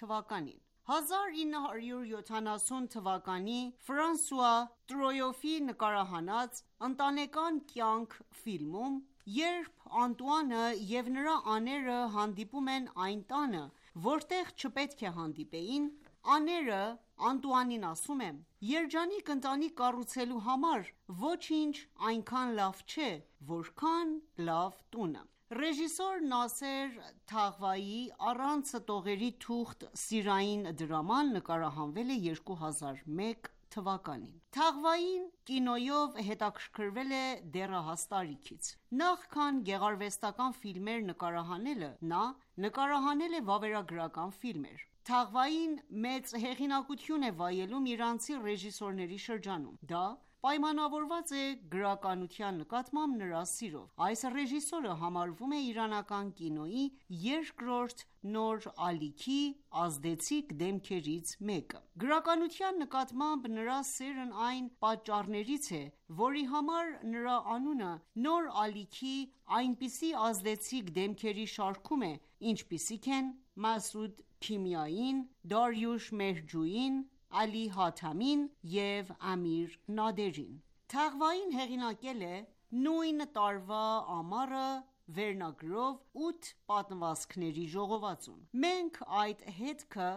թվականին։ 1970 թվականի Ֆրանսուଆ Տրոյոֆի նկարահանած «Ընտանեկան կյանք» ֆիլմում, երբ Անտուանը և նրա աները հանդիպում են այն տանը, որտեղ չպետք է հանդիպեին, աները Անտուանին ասում են. «Երջանիկ ընտանիք կառուցելու համար ոչինչ այնքան լավ չէ, որքան լավ տունը»։ Ռեժիսոր Նասեր Թաղվայի «Առանց տողերի թուղթ» սիրային դրաման նկարահանվել է 2001 թվականին։ Թաղվային կինոյով հետաքրքրվել է դեռահաս տարիքից։ Նախքան գեղարվեստական ֆիլմեր նկարահանելը, նա նկարահանել է վավերագրական ֆիլմեր։ Թաղվային մեծ հեղինակություն է վայելում իրանցի ռեժիսորների շրջանում։ Դա պայմանավորված է գրականության նկատմամբ նրա սիրով։ Այս ռեժիսորը համարվում է իրանական կինոյի երկրորդ նոր ալիքի ազդեցիկ դեմքերից մեկը։ Գրականության նկատմամբ նրա սերն այն պատճառներից է, որի համար նրա անունը նոր ալիքի այնպիսի ազդեցիկ դեմքերի շարքում է, ինչպիսիք են Մասուդ Քիմիային, Դարյուշ Մեհջուին, Ալի Հաթամին և Ամիր Նադերին։ Թաղվային հեղինակել է «Նույն տարվա ամառը» վերնագրով 8 պատմվածքների ժողովածուն։ Մենք այդ հետքը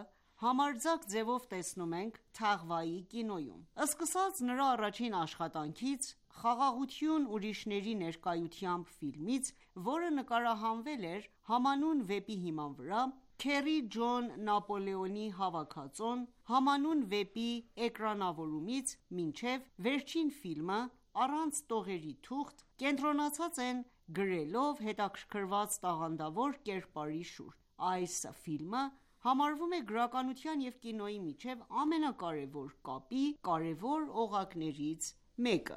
համարձակ ձևով տեսնում ենք Թաղվայի կինոյում։ Սկսած նրա առաջին աշխատանքից «Խաղաղություն ուրիշների ներկայությամբ» ֆիլմից, որը նկարահանվել էր համանուն վեպի հիման վրա, Քերի Ջոն Նապոլեոնի հավաքածոն, համանուն վեպի էկրանավորումից մինչև վերջին ֆիլմը «Առանց տողերի թուղթ», կենտրոնացած են գրելով հետաքրքրված տաղանդավոր կերպարի շուրջ։ Այս ֆիլմը համարվում է գրականության և կինոյի միջև ամենակարևոր կապի կարևոր օղակներից մեկը։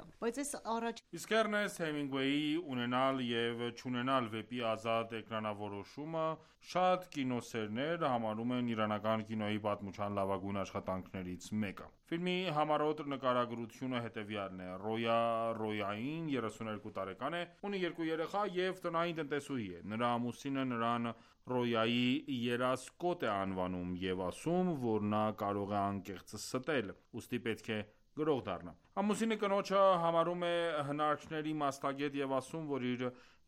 Իսկ Էռնեստ Հեմինգուեյի «Ունենալ և չունենալ» վեպի ազատ էկրանավորումը շատ կինոսերներ համարում են իրանական կինոյի պատմության լավագույն աշխատանքներից մեկը։ Ֆիլմի համառոտ նկարագրությունը հետևյալն է. Ռոյա Ռոյային 32 տարեկան է, ունի 2 երեխա և տնային տնտեսուհի է։ Նրա ամուսինը նրան Ռոյայի երասկոտ է անվանում և ասում, որ նա կարող է անկեղծ ստել, ուստի պետք է գրող դառնա։ Ամուսինը կնոջը համարում է հնարքների մասնագետ և ասում, որ իր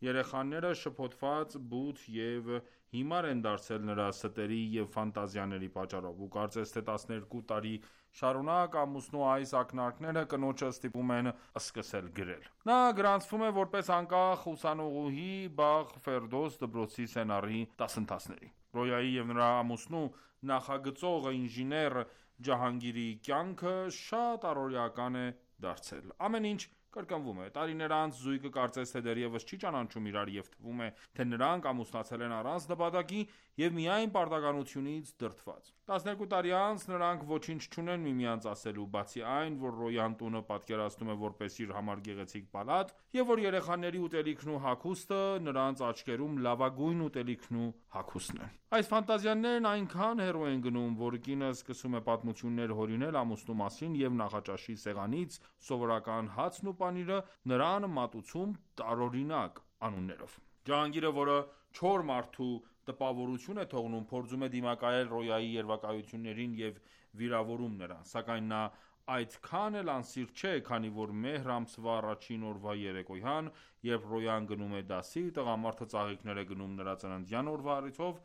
երեխաները շփոթված, բութ և հիմար են դարձել նրա ստերի և ֆանտազիաների պատճառով, ու կարծես թե 12 տարի շարունակ ամուսնու այս ակնարկները կնոջը ստիպում են սկսել գրել։ Նա գրանցվում է որպես անկախ ուսանողուհի Բաղ Ֆերդոս դպրոցի սցենարի դասընթացների։ Ռոյայի և նրա ամուսնու նախագծող ինժեներ Ջահանգիրի կյանքը շատ առօրեական է դարձել։ Ամեն ինչ կրկնվում է։ Տարիներ անց զույգը կարծես թե դեռևս չի ճանաչում իրար և թվում է, թե նրանք ամուսնացել են առանց նպատակի և միայն պարտականությունից դրդված։ 12 տարի անց նրանք ոչինչ չունեն միմյանց ասելու, բացի այն, որ Ռոյան տունը պատկերացնում է որպես իր համար գեղեցիկ պալատ, և որ երեխաների ուտելիքն ու հագուստը նրանց աչքերում լավագույն ուտելիքն ու հագուստն են։ Այս ֆանտազիաներն այնքան հեռու են գնում, որ կինը սկսում է պատմություններ հորինել ամուսնու մասին և նախաճաշի սեղանից սովորական հացն ու պանիրը նրան մատուցում տարօրինակ անուններով։ Ջահանգիրը, որը չոր մարդու տպավորություն է թողնում, փորձում է դիմակայել Ռոյայի երևակայություններին և վիրավորում նրան, սակայն նա այդքան էլ անսիրտ չէ, քանի որ մեհր ամսվա առաջին օրվա երեկոյան, երբ Ռոյան գնում է դասի, տղամարդը ծաղիկներ է գնում նրա ծննդյան օրվա առիթով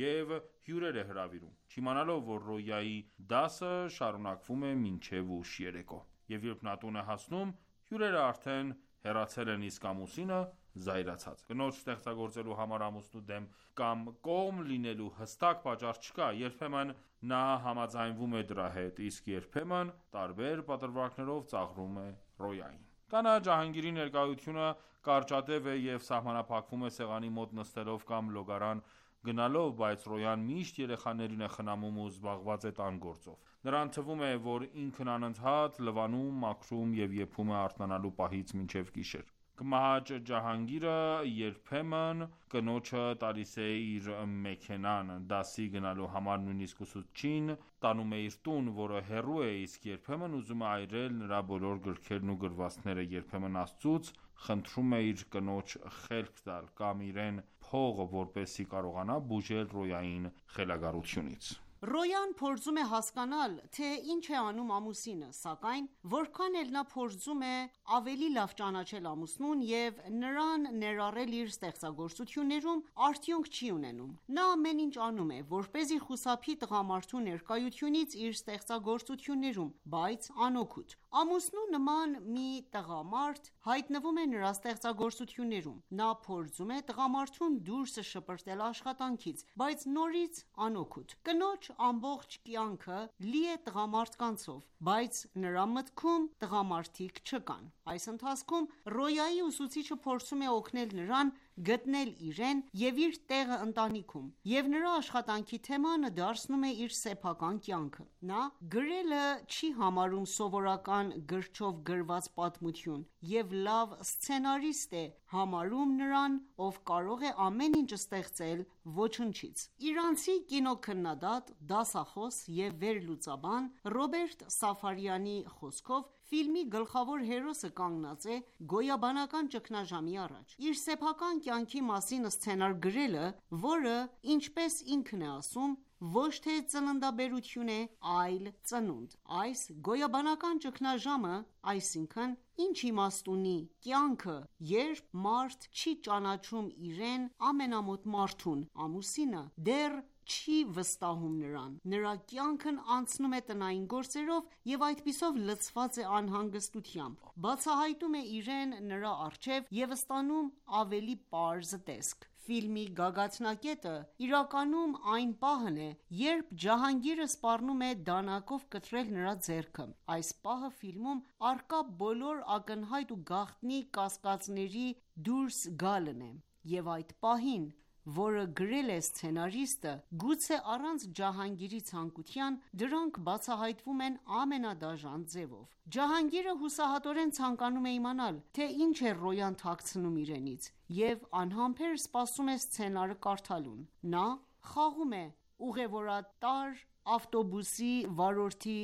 և հյուրեր է հրավիրում, չիմանալով, որ Ռոյայի դասը շարունակվում է մինչև ուշ երեկո։ Եվ երբ նա տուն է հասնում, հյուրերը արդեն հեռացել են, իսկ ամուսինը զայրացած։ Կնոջ ստեղծագործելու համար ամուսնու դեմ կամ կողմ լինելու հստակ պատճառ չկա։ Երբեմն նա համաձայնվում է դրա հետ, իսկ երբեմն տարբեր պատրվակներով ծաղրում է Ռոյային։ Տանը Ջահանգիրի ներկայությունը կարճատև է և սահմանափակվում է սեղանի մոտ նստելով կամ լոգարան գնալով, բայց Ռոյան միշտ երեխաներին է խնամում ու զբաղված է տան գործով։ Նրան թվում է, որ ինքն անընդհատ լվանում, մաքրում և եփում է արթնանալու պահից մինչև գիշեր։ Կմահաճ Ջահանգիրը երբեմն կնոջը տալիս է իր մեքենան դասի գնալու համար, նույնիսկ ուսուցչին տանում է իր տուն, որը հեռու է, իսկ երբեմն ուզում է այրել նրա բոլոր գրքերն ու գրվածքները, երբեմն Աստծուց խնդրում է իր կնոջ խելք տալ կամ իրեն փող, որպեսզի կարողանա բուժել Ռոյային խելագարությունից։ Ռոյան փորձում է հասկանալ, թե ինչ է անում ամուսինը, սակայն որքան էլ նա փորձում է ավելի լավ ճանաչել ամուսնուն և նրան ներառել իր ստեղծագործություններում, արդյունք չի ունենում։ Նա ամեն ինչ անում է, որպեսզի խուսափի տղամարդու ներկայությունից իր ստեղծագործություններում, բայց անօգուտ։ Ամուսնու նման մի տղամարդ հայտնվում է նրա ստեղծագործություններում։ Նա փորձում է տղամարդուն դուրս շպրտել աշխատանքից, բայց նորից անօգուտ։ Կնոջ ամբողջ կյանքը լի է տղամարդկանցով, բայց նրա մտքում տղամարդիկ չկան։ Այս ընթացքում Ռոյայի ուսուցիչը փորձում է օգնել նրան գտնել իրեն և իր տեղը ընտանիքում, և նրա աշխատանքի թեման դարձնում է իր սեփական կյանքը։ Նա գրելը չի համարում սովորական գրչով գրված պատմություն և լավ սցենարիստ է համարում նրան, ով կարող է ամեն ինչ ստեղծել ոչնչից։ Իրանցի կինոքննադատ, դասախոս և վերլուծաբան Ռոբերտ Սաֆարյանի խոսքով, ֆիլմի գլխավոր հերոսը կանգնած է գոյաբանական ճգնաժամի առաջ։ Իր սեփական կյանքի մասին սցենար գրելը, որը, ինչպես ինքն է ասում, ոչ թե ծննդաբերություն է, այլ ծնունդ։ Այս գոյաբանական ճգնաժամը, այսինքն, ինչ իմաստ ունի կյանքը, երբ մարդ չի ճանաչում իրեն ամենամոտ մարդուն, ամուսինը, դեռ չի վստահում նրան։ Նրա կյանքն անցնում է տնային գործերով և այդպիսով լցված է անհանգստությամբ։ Բացահայտում է իրեն նրա առջև և ստանում ավելի պարզ տեսք։ Ֆիլմի գագաթնակետը իրականում այն պահն է, երբ Ջահանգիրը սպառնում է դանակով կտրել նրա ձեռքը։ Այս պահը ֆիլմում առկա բոլոր ակնհայտ ու գաղտնի կասկածների դուրս գալն է, և այդ պահին, որը գրել է սցենարիստը, գուցե առանց Ջահանգիրի ցանկության, դրանք բացահայտվում են ամենադաժան ձևով։ Ջահանգիրը հուսահատորեն ցանկանում է իմանալ, թե ինչ է Ռոյան թաքցնում իրենից, և անհամբեր սպասում է սցենարը կարդալուն։ Նա խաղում է ուղևորատար ավտոբուսի վարորդի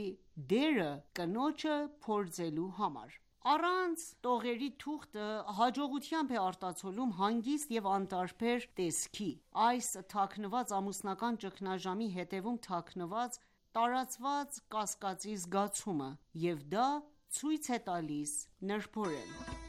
դերը կնոջը փորձելու համար։ Առանց տողերի թուղթը հաջողությամբ է արտացոլում հանգիստ և անտարբեր տեսքի։ Այս թաքնված ամուսնական ճգնաժամի հետևում թաքնված տարածված կասկածի զգացումը, և դա ցույց է տալիս նրբորեն։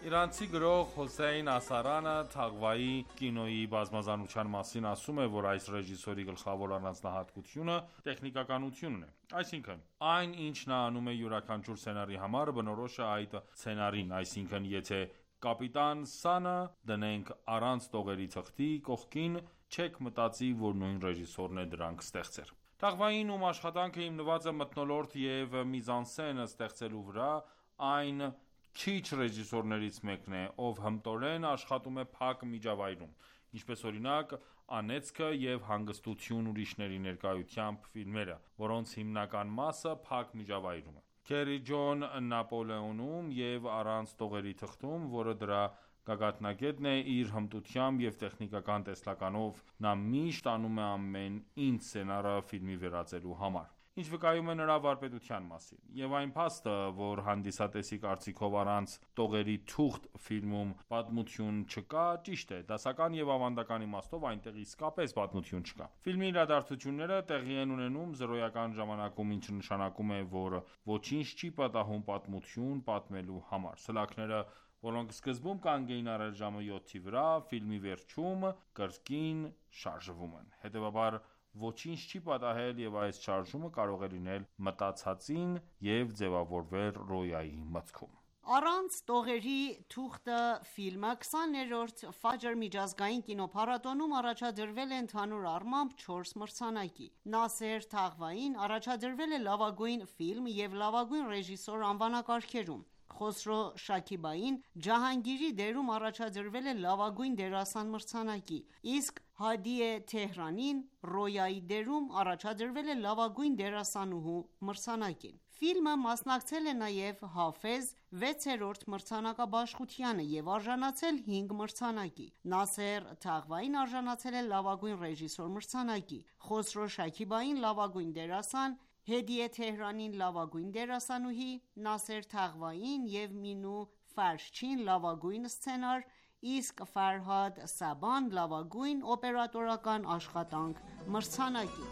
Իրանցի գրող Հոսեյն Ասարանը Թաղվայի կինոյի բազմազանության մասին ասում է, որ այս ռեժիսորի գլխավոր առանձնահատկությունը տեխնիկականությունն է։ Այսինքն, այն, ինչ նա անում է յուրաքանչյուր սցենարի համար, բնորոշ է այդ սցենարին, այսինքն, եթե Կապիտան Սանը դնենք առանց տողերի թղթի կողքին, չեք մտածի, որ նույն ռեժիսորն է դրանք ստեղծել։ Թաղվային, ում աշխատանքը հիմնված է մթնոլորտ և միզանսեն ստեղծելու վրա, այն քիչ ռեժիսորներից մեկն է, ով հմտորեն աշխատում է փակ միջավայրում, ինչպես օրինակ «Անեծքը» և «Հանգստություն ուրիշների ներկայությամբ» ֆիլմերը, որոնց հիմնական մասը փակ միջավայրում է։ Քերի Ջոն Նապոլեոնում և առանց տողերի թղթում, որը դրա գագաթնակետն է, իր հմտությամբ և տեխնիկական տեսլականով նա միշտ անում է ամեն ինչ սցենարը ֆիլմի վերածելու համար, ինչ վկայում է նրա վարպետության մասին։ Եվ այն փաստը, որ հանդիսատեսի կարծիքով առանց տողերի թուղթ ֆիլմում պատմություն չկա, ճիշտ է, դասական և ավանդական իմաստով այնտեղ իսկապես պատմություն չկա։ Ֆիլմի իրադարձությունները տեղի են ունենում զրոյական ժամանակում, ինչը նշանակում է, որ ոչինչ չի պատահում պատմություն պատմելու համար։ Սլաքները, որոնք սկզբում կանգ էին առել ժամը 7-ի վրա, ֆիլմի վերջում կրկին շարժվում են։ Հետևաբար ոչինչ չի պատահել և այս շարժումը կարող է լինել մտածածին և ձևավորվել Ռոյայի մտքում։ Առանց տողերի թուղթը ֆիլմը 20-րդ Ֆաջր միջազգային կինոփառատոնում առաջադրվել է ընդհանուր առմամբ 4 մրցանակի։ Նասեր Թաղվային առաջադրվել է լավագույն ֆիլմ և լավագույն ռեժիսոր անվանակարգերում։ Խոսրո Շաքիբային Ջահանգիրի դերում առաջադրվել է լավագույն դերասան մրցանակի, իսկ Հադիե Թեհրանին Ռոյայի դերում առաջադրվել է լավագույն դերասանուհու մրցանակին։ Ֆիլմը մասնակցել է նաև Հաֆեզ 6-րդ մրցանակաբաշխությանը և արժանացել 5 մրցանակի։ Նասեր Թաղվային արժանացել է լավագույն ռեժիսոր մրցանակի, Խոսրո Շաքիբային լավագույն դերասան, Հեդիե Թեհրանին լավագույն դերասանուհի, Նասեր Թաղվային և Մինու Ֆարշչին լավագույն սցենար, իսկ Ֆարհադ Սաբան լավագույն օպերատորական աշխատանք մրցանակի։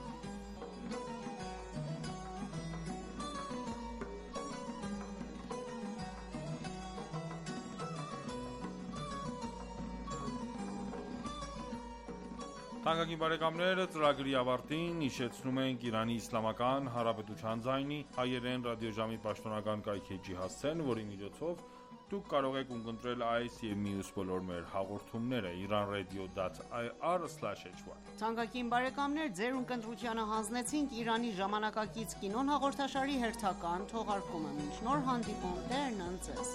Թանկագին բարեկամներ, ծրագրի ավարտին հիշեցնում ենք Իրանի Իսլամական Հանրապետության ձայնի հայերեն ռադիոժամի պաշտոնական կայքէջի հասցեն, որի միջոցով դուք կարող եք ունկնդրել այս և մյուս բոլոր մեր հաղորդումները iranradio.ir/hy։ Թանկագին բարեկամներ, ձեր ունկնդրությանը հանձնեցինք Իրանի ժամանակակից կինոն հաղորդաշարի հերթական թողարկումը։ Մինչ նոր հանդիպում, Տերն ընդ ձեզ։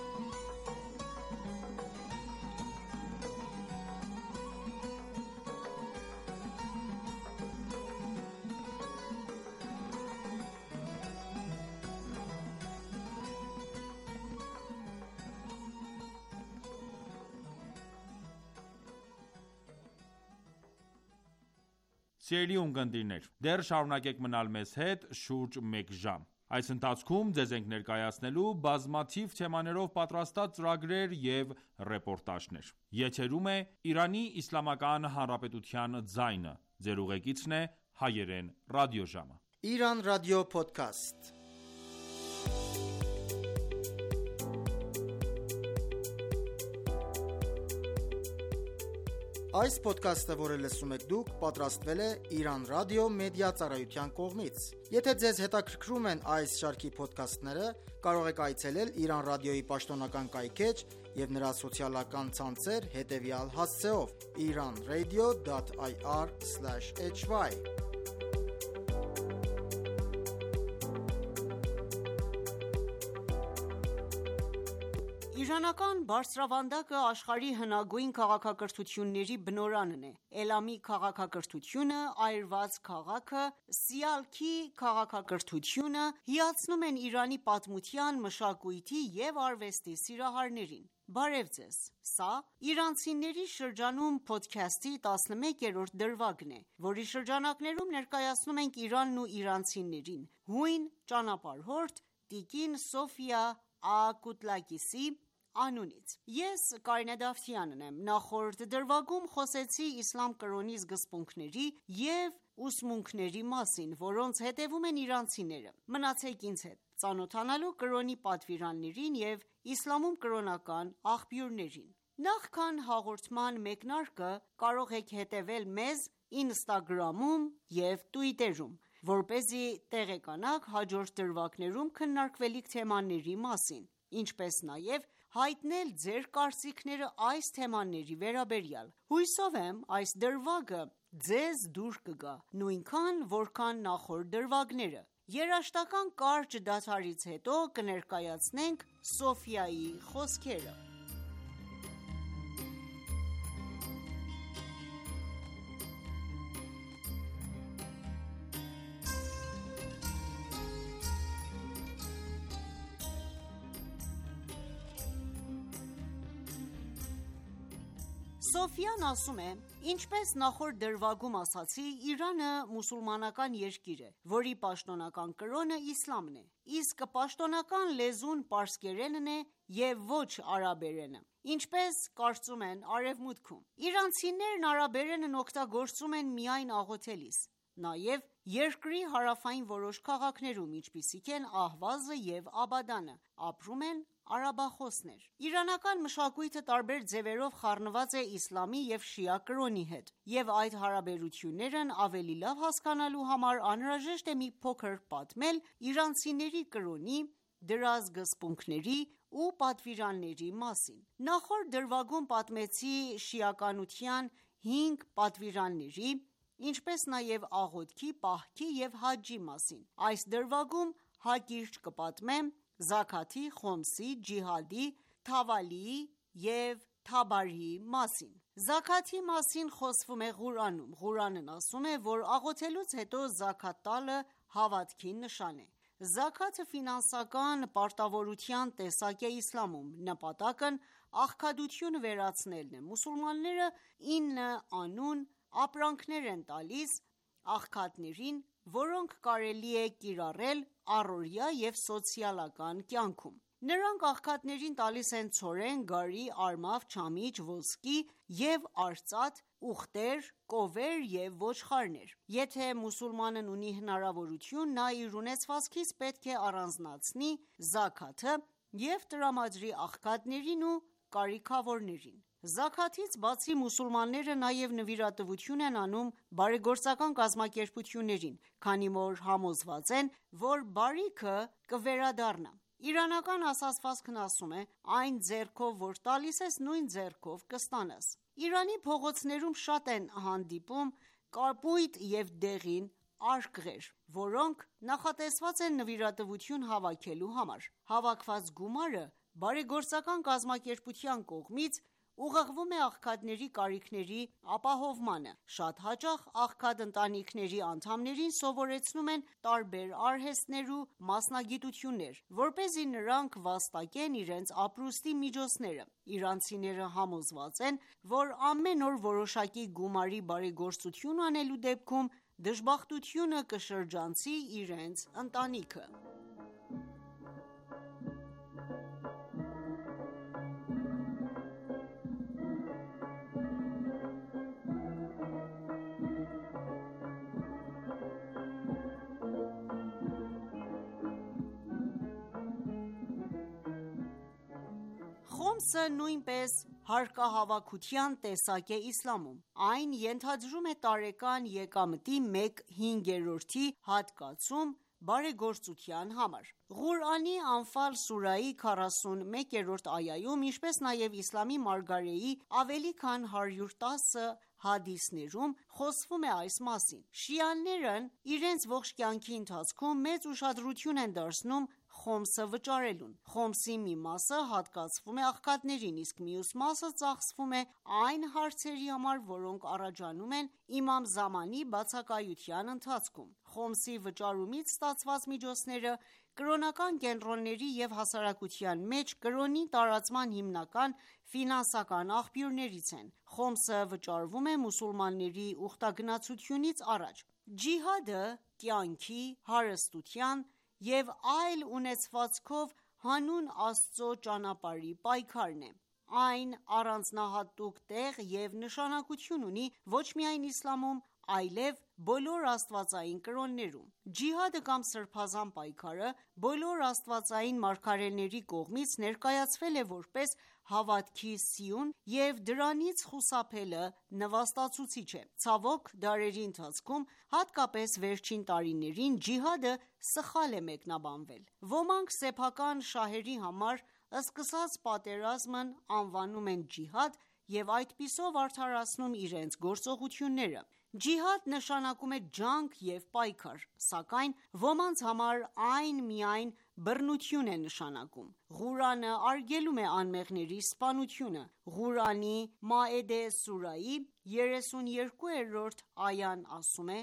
Սիրելի ունկնդիրներ, դեռ շարունակեք մնալ մեզ հետ շուրջ մեկ ժամ։ Այս ընթացքում ձեզ ենք ներկայացնելու բազմաթիվ թեմաներով պատրաստած ծրագրեր և ռեպորտաժներ։ Եթերում է Իրանի Իսլամական Հանրապետության ձայնը։ Ձեր ուղեկիցն է հայերեն ռադիոժամը։ Իրան ռադիո փոդքասթ։ Այս փոդքասթը, որը լսում եք դուք, պատրաստվել է Իրան ռադիո մեդիա ծառայության կողմից։ Եթե ձեզ հետաքրքրում են այս շարքի փոդքասթները, կարող եք այցելել Իրան ռադիոյի պաշտոնական կայքէջ և նրա սոցիալական ցանցեր հետևյալ հասցեով՝ iranradio.ir/hy։ Իրանական բարձրավանդակը աշխարհի հնագույն քաղաքակրթությունների բնօրանն է։ Էլամի քաղաքակրթությունը, այրված քաղաքը, Սիալքի քաղաքակրթությունը հիացնում են Իրանի պատմության, մշակույթի և արվեստի սիրահարներին։ Բարև ձեզ։ Սա իրանցիների շրջանում փոդքասթի 11-րդ դրվագն է, որի շրջանակներում ներկայացնում ենք Իրանն ու իրանցիներին հույն ճանապարհորդ տիկին Սոֆիա Ակուտլակիսի անունից։ Ես Կարինե Դավթյանն եմ։ Նախորդ դրվագում խոսեցի իսլամ կրոնի սկզբունքների և ուսմունքների մասին, որոնց հետևում են իրանցիները։ Մնացեք ինձ հետ, ծանոթանալու կրոնի պատվիրաններին և իսլամում կրոնական աղբյուրներին։ Նախքան հաղորդման մեկնարկը կարող եք հետևել մեզ Instagram-ում և Twitter-ում, որպեսզի տեղեկանաք հաջորդ դրվագներում քննարկվելիք թեմաների մասին, ինչպես նաև հայտնել ձեր կարծիքները այս թեմաների վերաբերյալ։ Հուսով եմ այս դրվագը ձեզ դուր կգա, նույնքան որքան նախորդ դրվագները։ Երաժշտական կարճ դադարից հետո կներկայացնենք Սոֆիայի խոսքերը։ Սոֆիան ասում է. Ինչպես նախորդ դրվագում ասացի, Իրանը մուսուլմանական երկիր է, որի պաշտոնական կրոնը իսլամն է, իսկ պաշտոնական լեզուն պարսկերենն է և ոչ արաբերենը, ինչպես կարծում են արևմուտքում։ Իրանցիներն արաբերենն օգտագործում են միայն աղոթելիս, նաև երկրի հարավային որոշ քաղաքներում, ինչպիսիք են Ահվազը և Աբադանը, ապրում են արաբախոսներ։ Իրանական մշակույթը տարբեր ձևերով խառնված է իսլամի և շիա կրոնի հետ, և այդ հարաբերություններն ավելի լավ հասկանալու համար անհրաժեշտ է մի փոքր պատմել իրանցիների կրոնի, դրա սկզբունքների ու պատվիրանների մասին։ Նախորդ դրվագում պատմեցի շիականության 5 պատվիրանների, ինչպես նաև աղոթքի, պահքի և հաջջի մասին։ Այս դրվագում հակիրճ կպատմեմ զաքաթի, խոմսի, ջիհադի, թավալիի և թաբարիի մասին։ Զաքաթի մասին խոսվում է Ղուրանում։ Ղուրանն ասում է, որ աղոթելուց հետո զաքաթ տալը հավատքի նշան է։ Զաքաթը ֆինանսական պարտավորության տեսակ է իսլամում։ Նպատակն աղքատությունը վերացնելն է։ Մուսուլմանները 9 անուն ապրանքներ են տալիս աղքատներին, որոնք կարելի է կիրառել առօրյա և սոցիալական կյանքում։ Նրանք աղքատներին տալիս են ցորեն, գարի, արմավ, չամիչ, ոսկի և արծաթ, ուղտեր, կովեր և ոչխարներ։ Եթե մուսուլմանն ունի հնարավորություն, նա իր ունեցվածքից պետք է առանձնացնի զաքաթը և տրամադրի աղքատներին ու կարիքավորներին։ Զաքաթից բացի, մուսուլմանները նաև նվիրատվություն են անում բարեգործական կազմակերպություններին, քանի որ համոզված են, որ բարիքը կվերադառնա։ Իրանական ասացվածքն ասում է. «Այն ձեռքով, որ տալիս ես, նույն ձեռքով կստանաս»։ Իրանի փողոցներում շատ են հանդիպում կապույտ և դեղին արկղեր, որոնք նախատեսված են նվիրատվություն հավաքելու համար։ Հավաքված գումարը բարեգործական կազմակերպության կողմից ուղղվում է աղքատների կարիքների ապահովմանը։ Շատ հաճախ աղքատ ընտանիքների անդամներին սովորեցնում են տարբեր արհեստներ ու մասնագիտություններ, որպեսզի նրանք վաստակեն իրենց ապրուստի միջոցները։ Իրանցիները համոզված են, որ ամեն օր որոշակի գումարի բարեգործություն անելու դեպքում դժբախտությունը կշրջանցի իրենց ընտանիքը։ Խոմսը նույնպես հարկահավաքության տեսակ է իսլամում։ Այն ենթադրում է տարեկան եկամտի 1/5 հատկացում բարեգործության համար։ Ղուրանի Անֆալ սուրահի 41-րդ այայում, ինչպես նաև իսլամի մարգարեի ավելի քան 110 հադիսներում խոսվում է այս մասին։ Շիաներն իրենց ողջ կյանքի ընթացքում մեծ ուշադրություն են դարձնում խոմսը վճարելուն։ Խոմսի մի մասը հատկացվում է աղքատներին, իսկ մյուս մասը ծախսվում է այն հարցերի համար, որոնք առաջանում են իմամ Զամանի բացակայության ընթացքում։ Խոմսի վճարումից ստացված միջոցները կրոնական կենտրոնների և հասարակության մեջ կրոնի տարածման հիմնական ֆինանսական աղբյուրներից են։ Խոմսը վճարվում է մուսուլմանների ուխտագնացությունից առաջ։ Ջիհադը կյանքի, հարստության և այլ ունեցվածքով հանուն Աստծո ճանապարհի պայքարն է։ Այն առանձնահատուկ տեղ և նշանակություն ունի ոչ միայն իսլամում, այլև բոլոր աստվածային կրոններում։ Ջիհադը կամ սրբազան պայքարը բոլոր աստվածային մարգարեների կողմից ներկայացվել է որպես հավատքի սյուն և դրանից խուսափելը նվաստացուցիչ է։ Ցավոք, դարերի ընթացքում, հատկապես վերջին տարիներին, ջիհադը սխալ է մեկնաբանվել։ Ոմանք սեփական շահերի համար սկսած պատերազմն անվանում են ջիհադ և այդպիսով արդարացնում իրենց գործողությունները։ Ջիհադ նշանակում է ջանք և պայքար, սակայն ոմանց համար այն միայն բռնություն է նշանակում։ Ղուրանը արգելում է անմեղների սպանությունը։ Ղուրանի Մաիդե սուրահի 32-րդ այան ասում է.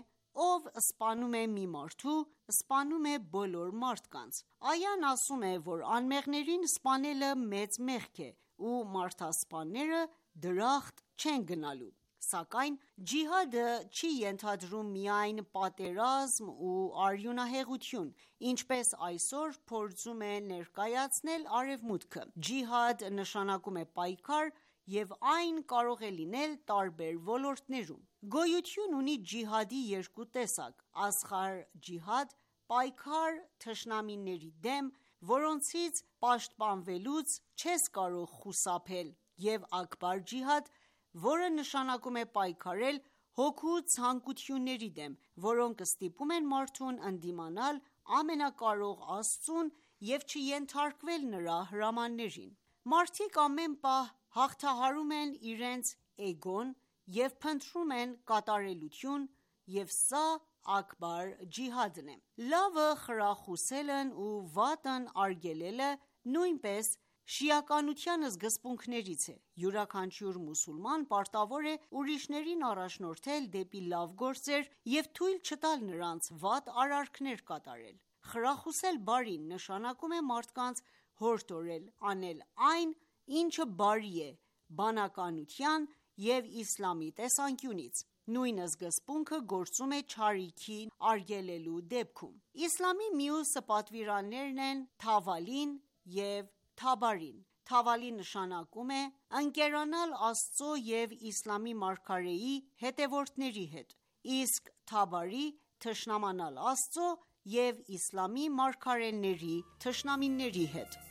«Ով սպանում է մի մարդու, սպանում է բոլոր մարդկանց»։ Այան ասում է, որ անմեղներին սպանելը մեծ մեղք է, ու մարդասպանները դրախտ չեն գնալու։ Սակայն ջիհադը չի ենթադրում միայն պատերազմ ու արյունահեղություն, ինչպես այսօր փորձում է ներկայացնել Արևմուտքը։ Ջիհադ նշանակում է պայքար և այն կարող է լինել տարբեր ոլորտներում։ Գոյություն ունի ջիհադի երկու տեսակ՝ ասղար ջիհադ, պայքար թշնամիների դեմ, որոնցից պաշտպանվելուց չես կարող խուսափել, և աքբար ջիհադ, որը նշանակում է պայքարել հոգու ցանկությունների դեմ, որոնք ստիպում են մարդուն ընդդիմանալ ամենակարող Աստծուն և չենթարկվել նրա հրամաններին։ Մարդիկ ամեն պահ հաղթահարում են իրենց էգոն և փնտրում են կատարելություն, և սա աքբար ջիհադն է։ Լավը խրախուսելն ու վատն արգելելը նույնպես շիականության սկզբունքներից է։ Յուրաքանչյուր մուսուլման պարտավոր է ուրիշներին առաջնորդել դեպի լավ գործեր և թույլ չտալ նրանց վատ արարքներ կատարել։ Խրախուսել բարին նշանակում է մարդկանց հորդորել անել այն, ինչը բարի է բանականության և իսլամի տեսանկյունից։ Նույն սկզբունքը գործում է չարիքի արգելելու դեպքում։ Իսլամի մյուս պատվիրաններն են թավալին և թաբարին։ Թավալի նշանակում է ընկերանալ Աստծո և իսլամի մարգարեի հետևորդների հետ, իսկ թաբարի՝ թշնամանալ Աստծո և իսլամի մարգարեների թշնամիների հետ։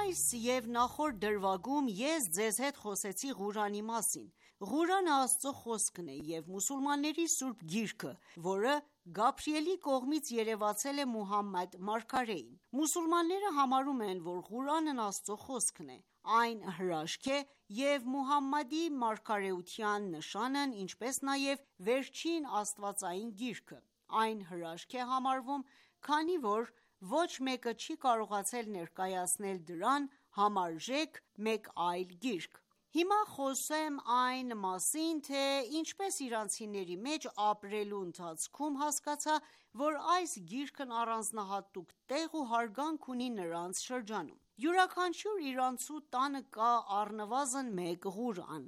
Այս և նախորդ դրվագում ես ձեզ հետ խոսեցի Ղուրանի մասին։ Ղուրանը Աստծո խոսքն է և մուսուլմանների սուրբ գիրքը, որը Գաբրիելի կողմից երևացել է Մուհամմադ մարգարեին։ Մուսուլմանները համարում են, որ Ղուրանն Աստծո խոսքն է։ Այն հրաշք է և Մուհամմադի մարգարեության նշանն, ինչպես նաև վերջին աստվածային գիրքը։ Այն հրաշք է համարվում, քանի որ ոչ մեկը չի կարողացել ներկայացնել դրան համարժեք մեկ այլ գիրք։ Հիմա խոսեմ այն մասին, թե ինչպես իրանցիների մեջ ապրելու ընթացքում հասկացա, որ այս գիրքն առանձնահատուկ տեղ ու հարգանք ունի նրանց շրջանում։ Յուրաքանչյուր իրանցու տանը կա առնվազն մեկ Ղուրան։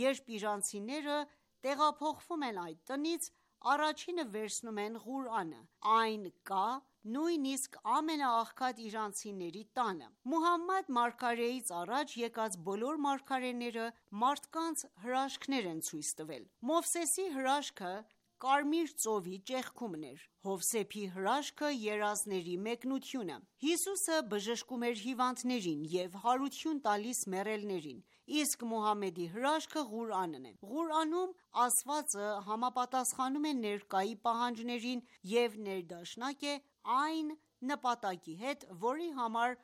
Երբ իրանցիները տեղափոխվում են այդ տնից, առաջինը վերցնում են Ղուրանը։ Այն կա նույնիսկ ամենաաղքատ իրանցիների տանը։ Մուհամմադ մարգարեից առաջ եկած բոլոր մարգարեները մարդկանց հրաշքներ են ցույց տվել։ Մովսեսի հրաշքը կարմիր ծովի ճեղքումն էր, Հովսեփի հրաշքը երազների մեկնությունը, Հիսուսը բժշկում էր հիվանդներին և հարություն տալիս մեռելներին, իսկ Մուհամմեդի հրաշքը Ղուրանն է։ Ղուրանում ասվածը համապատասխանում է ներկայի պահանջներին և ներդաշնակ է այն նպատակի հետ, որի համար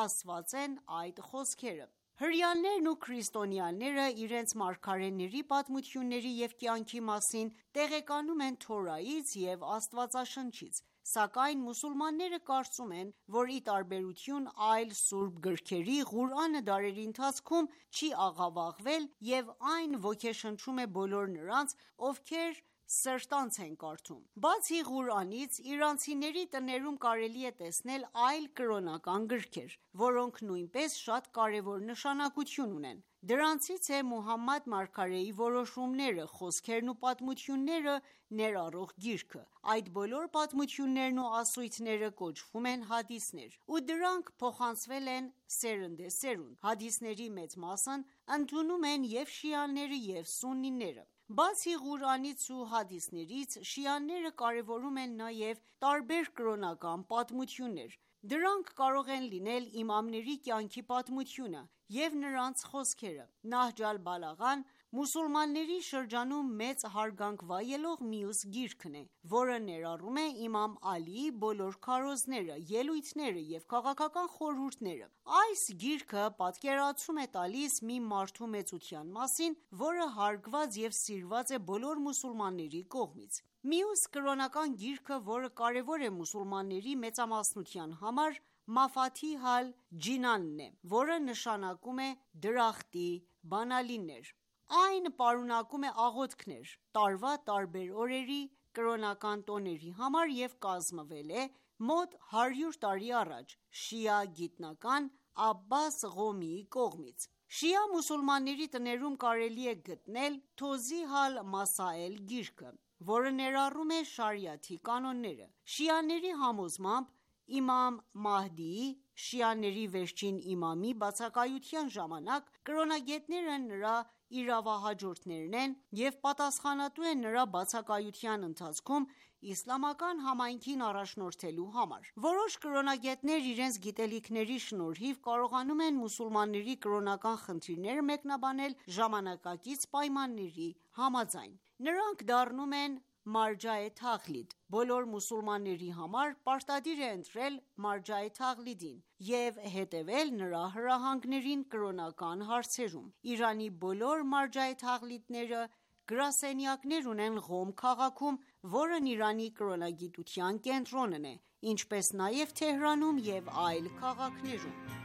ասված են այդ խոսքերը։ Հրեաներն ու քրիստոնյաները իրենց մարգարեների պատմությունների և կյանքի մասին տեղեկանում են Թորայից և Աստվածաշնչից, սակայն մուսուլմանները կարծում են, որ ի տարբերություն այլ սուրբ գրքերի, Ղուրանը դարերի ընթացքում չի աղավաղվել և այն ոգեշնչում է բոլոր նրանց, ովքեր սրտանց են կարդում։ Բացի Ղուրանից, իրանցիների տներում կարելի է տեսնել այլ կրոնական գրքեր, որոնք նույնպես շատ կարևոր նշանակություն ունեն։ Դրանցից է Մուհամմադ մարգարեի որոշումները, խոսքերն ու պատմությունները ներառող գիրքը։ Այդ բոլոր պատմություններն ու ասույթները կոչվում են հադիսներ, ու դրանք փոխանցվել են սերնդեսերունդ։ Հադիսների մեծ մասն ընդունում են և շիաները, և սուննիները։ Բացի Ղուրանից ու հադիսներից, շիաները կարևորում են նաև տարբեր կրոնական պատմություններ։ Դրանք կարող են լինել իմամների կյանքի պատմությունը և նրանց խոսքերը։ Նահջ ալ-Բալաղան մուսուլմանների շրջանում մեծ հարգանք վայելող մյուս գիրքն է, որը ներառում է իմամ Ալիի բոլոր քարոզները, ելույթները և քաղաքական խորհուրդները։ Այս գիրքը պատկերացում է տալիս մի մարդու մեծության մասին, որը հարգված և սիրված է բոլոր մուսուլմանների կողմից։ Մյուս կրոնական գիրքը, որը կարևոր է մուսուլմանների մեծամասնության համար, Մաֆաթիհ ալ-Ջինանն է, որը նշանակում է դրախտի բանալիներ։ Այն պարունակում է աղոթքներ տարվա տարբեր օրերի, կրոնական տոների համար և կազմվել է մոտ 100 տարի առաջ շիա գիտնական Աբբաս Ղոմիի կողմից։ Շիա մուսուլմանների տներում կարելի է գտնել Թոզիհ ալ-Մասաել գիրքը, որը ներառում է շարիաթի կանոնները։ Շիաների համոզմամբ, իմամ Մահդիի՝ շիաների վերջին իմամի բացակայության ժամանակ, կրոնագետները նրա իրավահաջորդներն են և պատասխանատու են նրա բացակայության ընթացքում իսլամական համայնքին առաջնորդելու համար։ Որոշ կրոնագետներ իրենց գիտելիքների շնորհիվ կարողանում են մուսուլմանների կրոնական խնդիրները մեկնաբանել ժամանակակից պայմանների համաձայն։ Նրանք դառնում են մարջաե թաղլիդ։ Բոլոր մուսուլմանների համար պարտադիր է ընտրել մարջաե թաղլիդին և հետևել նրա հրահանգներին կրոնական հարցերում։ Իրանի բոլոր մարջաե թաղլիդները գրասենյակներ ունեն Ղոմ քաղաքում, որն Իրանի կրոնագիտության կենտրոնն է, ինչպես նաև Թեհրանում և այլ քաղաքներում։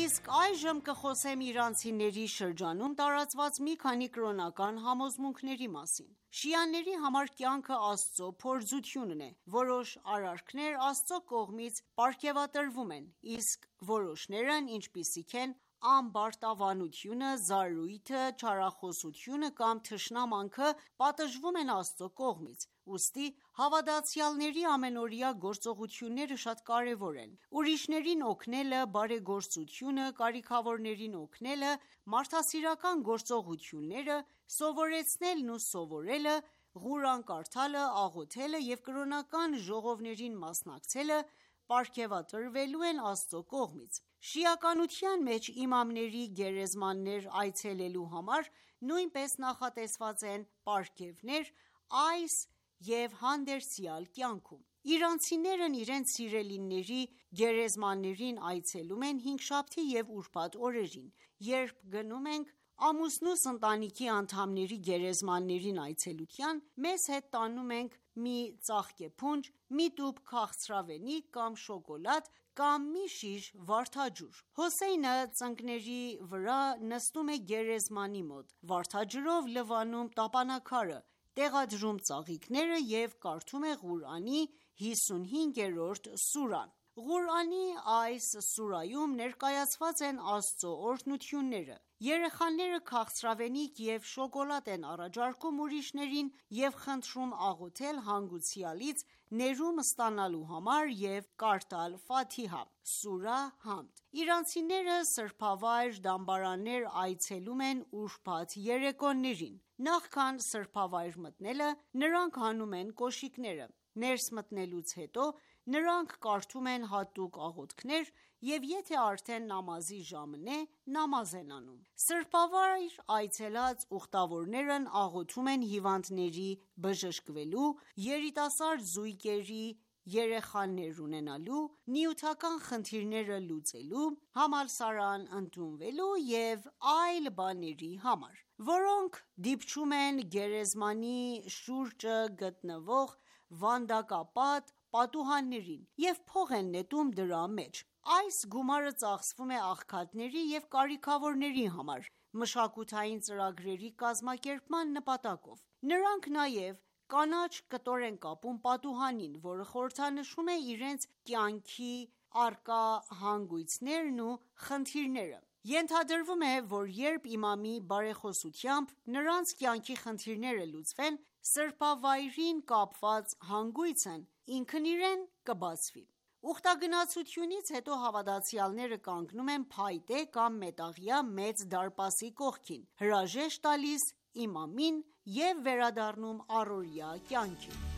Իսկ այժմ կխոսեմ իրանցիների շրջանում տարածված մի քանի կրոնական համոզմունքների մասին։ Շիաների համար կյանքը Աստծո փորձությունն է։ Որոշ արարքներ Աստծո կողմից պարգևատրվում են, իսկ որոշներն, ինչպիսիք են ամբարտավանությունը, զարույթը, չարախոսությունը կամ թշնամանքը, պատժվում են Աստծո կողմից։ Ուստի հավատացյալների ամենօրյա գործողությունները շատ կարևոր են։ Ուրիշներին օգնելը, բարեգործությունը, կարիքավորներին օգնելը, մարդասիրական գործողությունները, սովորեցնելն ու սովորելը, Ղուրան կարդալը, աղոթելը և կրոնական ժողովներին մասնակցելը պարգևատրվելու են Աստծո կողմից։ Շիականության մեջ իմամների գերեզմաններ այցելելու համար նույնպես նախատեսված են պարգևներ այս և հանդերձյալ կյանքում։ Իրանցիներն իրենց սիրելիների գերեզմաններին այցելում են հինգշաբթի և ուրբաթ օրերին։ Երբ գնում ենք ամուսնուս ընտանիքի անդամների գերեզմաններին այցելության, մեզ հետ տանում ենք մի ծաղկե փունջ, մի տուփ քաղցրավենիք կամ շոկոլադ կամ մի շիշ վարդաջուր։ Հոսեյնը ծնկների վրա նստում է գերեզմանի մոտ, վարդաջրով լվանում տապանաքարը, տեղադրում ծաղիկները և կարդում է Ղուրանի 55-րդ սուրան։ Ղուրանի այս սուրայում ներկայացված են Աստծո օրհնությունները։ Երեխաները քաղցրավենիք և շոկոլադ են առաջարկում ուրիշներին և խնդրում աղոթել հանգուցյալից ներում ստանալու համար և կարդալ Ֆաթիհա (սուրահ Համդ)։ Իրանցիները սրբավայր դամբարաններ այցելում են ուրբաթ երեկոներին։ Նախքան սրբավայր մտնելը, նրանք հանում են կոշիկները։ Ներս մտնելուց հետո նրանք կարդում են հատուկ աղոթքներ և եթե արդեն նամազի ժամն է, նամազ են անում։ Սրբավայր այցելած ուխտավորներն աղոթում են հիվանդների բժշկվելու, երիտասարդ զույգերի երեխաներ ունենալու, նյութական խնդիրները լուծելու, համալսարան ընդունվելու և այլ բաների համար, որոնք դիպչում են գերեզմանի շուրջը գտնվող վանդակապատ պատուհաններին և փող են նետում դրա մեջ։ Այս գումարը ծախսվում է աղքատների և կարիքավորների համար՝ մշակութային ծրագրերի կազմակերպման նպատակով։ Նրանք նաև կանաչ կտոր են կապում պատուհանին, որը խորհրդանշում է իրենց կյանքի առկա հանգույցներն ու խնդիրները։ Ենթադրվում է, որ երբ իմամի բարեխոսությամբ նրանց կյանքի խնդիրները լուծվեն, սրբավայրին կապված հանգույցն ինքն իրեն կբացվի։ Ուխտագնացությունից հետո հավատացյալները կանգնում են փայտե կամ մետաղյա մեծ դարպասի կողքին, հրաժեշտ տալիս իմամին և վերադառնում առօրյա կյանքին։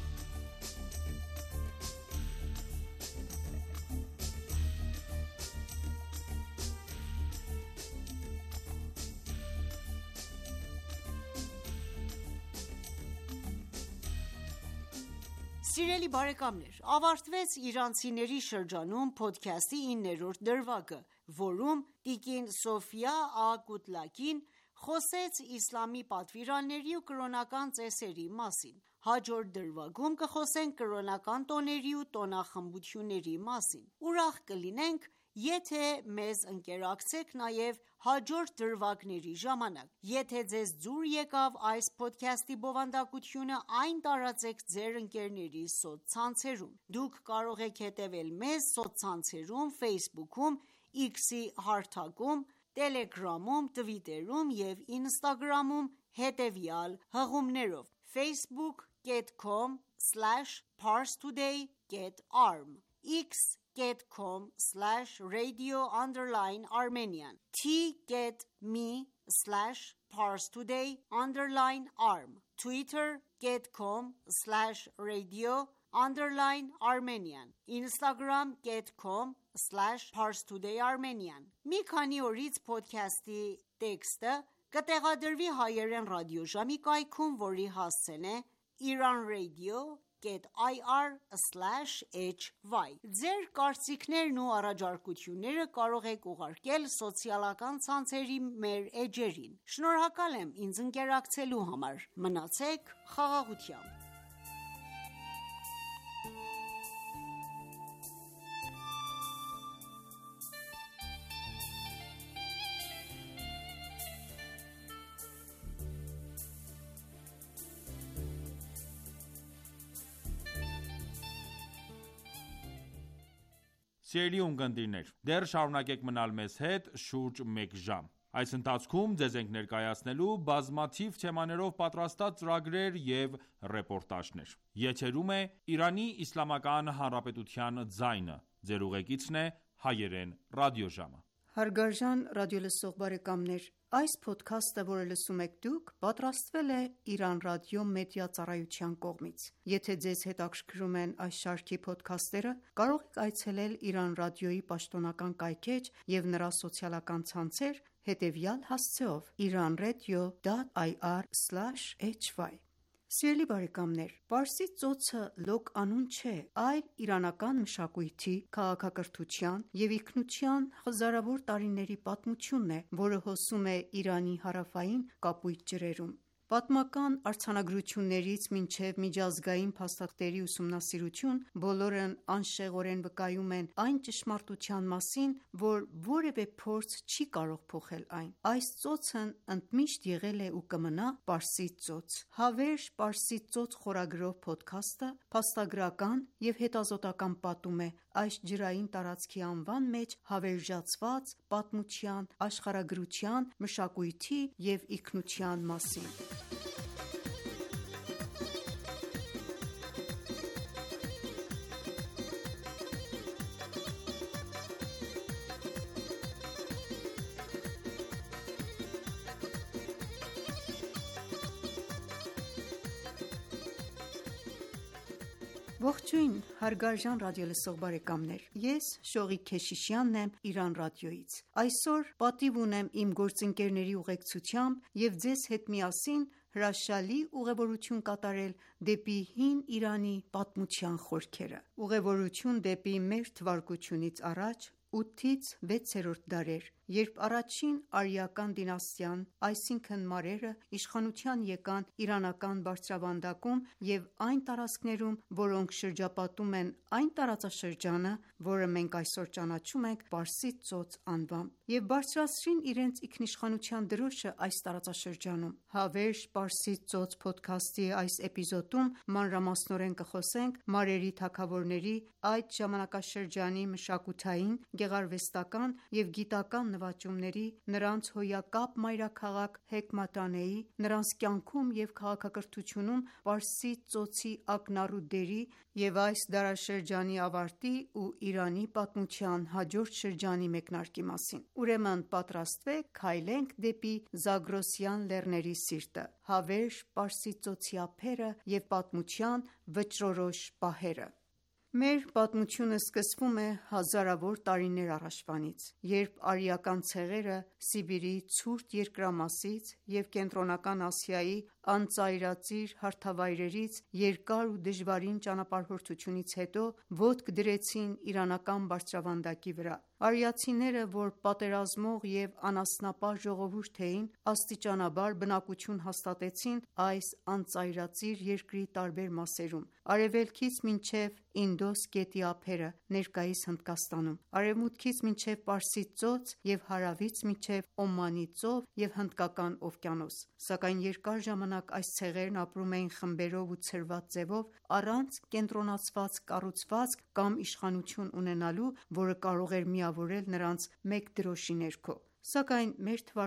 Սիրելի բարեկամներ, ավարտվեց իրանցիների շրջանում փոդքասթի 9-րդ դրվագը, որում տիկին Սոֆիա Ա.Կուտլակին խոսեց իսլամի պատվիրանների ու կրոնական ծեսերի մասին։ Հաջորդ դրվագում կխոսենք կրոնական տոների ու տոնախմբությունների մասին։ Ուրախ կլինենք, եթե մեզ ընկերակցեք նաև հաջորդ դրվագների ժամանակ։ Եթե ձեզ դուր եկավ այս փոդքասթի բովանդակությունը, այն տարածեք ձեր ընկերների սոցցանցերում։ Դուք կարող եք հետևել մեզ սոցցանցերում Facebook-ում, X-ի հարթակում, Telegram-ում, Twitter-ում և Instagram-ում հետևյալ հղումներով. facebook.com/parstoday.arm x.com/radio_Armenian t.me/parstoday_arm twitter.com/radio_Armenian instagram.com/parstoday_Armenian Մի քանի օրից podcast-ի տեքստը կտեղադրվի հայերեն ռադիոժամի կայքում, որի հասցեն է iranradio.ir/hy Ձեր կարծիքներն ու առաջարկությունները կարող եք ուղարկել սոցիալական ցանցերի մեր էջերին: Շնորհակալ եմ ինձ ընկերակցելու համար: Մնացեք խաղաղությամբ: Սիրելի ունկնդիրներ, դեռ շարունակեք մնալ մեզ հետ շուրջ մեկ ժամ: Այս ընթացքում ձեզ ենք ներկայացնելու բազմաթիվ թեմաներով պատրաստած ծրագրեր և ռեպորտաժներ: Եթերում է Իրանի Իսլամական Հանրապետության ձայնը: Ձեր ուղեկիցն է Հայերեն ռադիոժամը: Հարգարժան ռադիոլսող բարեկամներ, այս փոդքասթը, որը լսում եք դուք, պատրաստվել է Իրան Ռադիո Մեդիա Ծառայության կողմից: Եթե ձեզ հետաքրքրում են այս շարքի փոդքասթերը, կարող եք այցելել Իրան Ռադիոյի պաշտոնական կայքէջ և նրա սոցիալական ցանցեր հետևյալ հասցեով՝ iranradio.ir/hy Սիրելի բարեկամներ, Պարսից ծոցը լոկ անուն չէ, այլ իրանական մշակույթի, քաղաքակրթության և ինքնության հազարավոր տարիների պատմությունն է, որը հոսում է Իրանի հարավային կապույտ ջրերում: Պատմական արձանագրություններից մինչև միջազգային փաստաթղթերի ուսումնասիրություն, բոլորն անշեղորեն վկայում են այն ճշմարտության մասին, որ որևէ փորձ չի կարող փոխել այն: Այս ծոցն ընդմիշտ եղել է ու կմնա Պարսից ծոց: «Հավերժ Պարսից ծոց» խորագրով փոդքասթը փաստագրական և հետազոտական պատում է այս ջրային տարածքի անվան մեջ հավերժացված պատմության, աշխարհագրության, մշակույթի և ինքնության մասին: Ողջույն հարգարժան ռադիոլսող բարեկամներ: Ես Շողիկ Քեշիշյանն եմ Իրան Ռադիոյից: Այսօր պատիվ ունեմ իմ գործընկերների ուղեկցությամբ և ձեզ հետ միասին հրաշալի ուղևորություն կատարել դեպի հին Իրանի պատմության խորքերը: Ուղևորություն դեպի մ.թ.ա. 8-6-րդ դարեր, երբ առաջին արիական դինաստիան, այսինքն մարերը, իշխանության եկան իրանական բարձրավանդակում և այն տարածքներում, որոնք շրջապատում են այն տարածաշրջանը, որը մենք այսօր ճանաչում ենք Պարսից ծոց անվամբ, և բարձրացրին իրենց ինքնիշխանության դրոշը այս տարածաշրջանում: «Հավերժ Պարսից ծոց» փոդքասթի այս էպիզոդում մանրամասնորեն կխոսենք մարերի թագավորների, այդ ժամանակաշրջանի մշակութային, գեղարվեստական և գիտական նվաճումների, նրանց հոյակապ մայրաքաղաք Հեքմաթանեի, նրանց կյանքում և քաղաքակրթությունում Պարսից ծոցի ակնառու դերի և այս դարաշրջանի ավարտի ու Իրանի պատմության հաջորդ շրջանի մեկնարկի մասին: Ուրեմն պատրաստվեք քայլենք դեպի Զագրոսյան լեռների սիրտը: Հավերժ Պարսից ծոցի ափերը և պատմության վճռորոշ պահերը: Մեր պատմությունը սկսվում է հազարավոր տարիներ առաջվանից, երբ արիական ցեղերը Սիբիրի ցուրտ երկրամասից և Կենտրոնական Ասիայի անծայրածիր հարթավայրերից երկար ու դժվարին ճանապարհորդությունից հետո ոտք դրեցին իրանական բարձրավանդակի վրա: Արիացիները, որ պատերազմող և անասնապահ ժողովուրդ էին, աստիճանաբար բնակություն հաստատեցին այս անծայրածիր երկրի տարբեր մասերում, արևելքից մինչև Ինդոս գետի ափերը (ներկայիս Հնդկաստանում), արևմուտքից մինչև Պարսից ծոց և հարավից մինչև Օմանի ծով և Հնդկական օվկիանոս: Սակայն երկար ժամանակ այս ցեղերն ապրում էին խմբերով ու ցրված ձևով, առանց կենտրոնացված կառուցվածք կամ իշխանություն ունենալու, որը կարող էր միավորել նրանց մեկ դրոշի ներքո: Սակայն մ.թ.ա.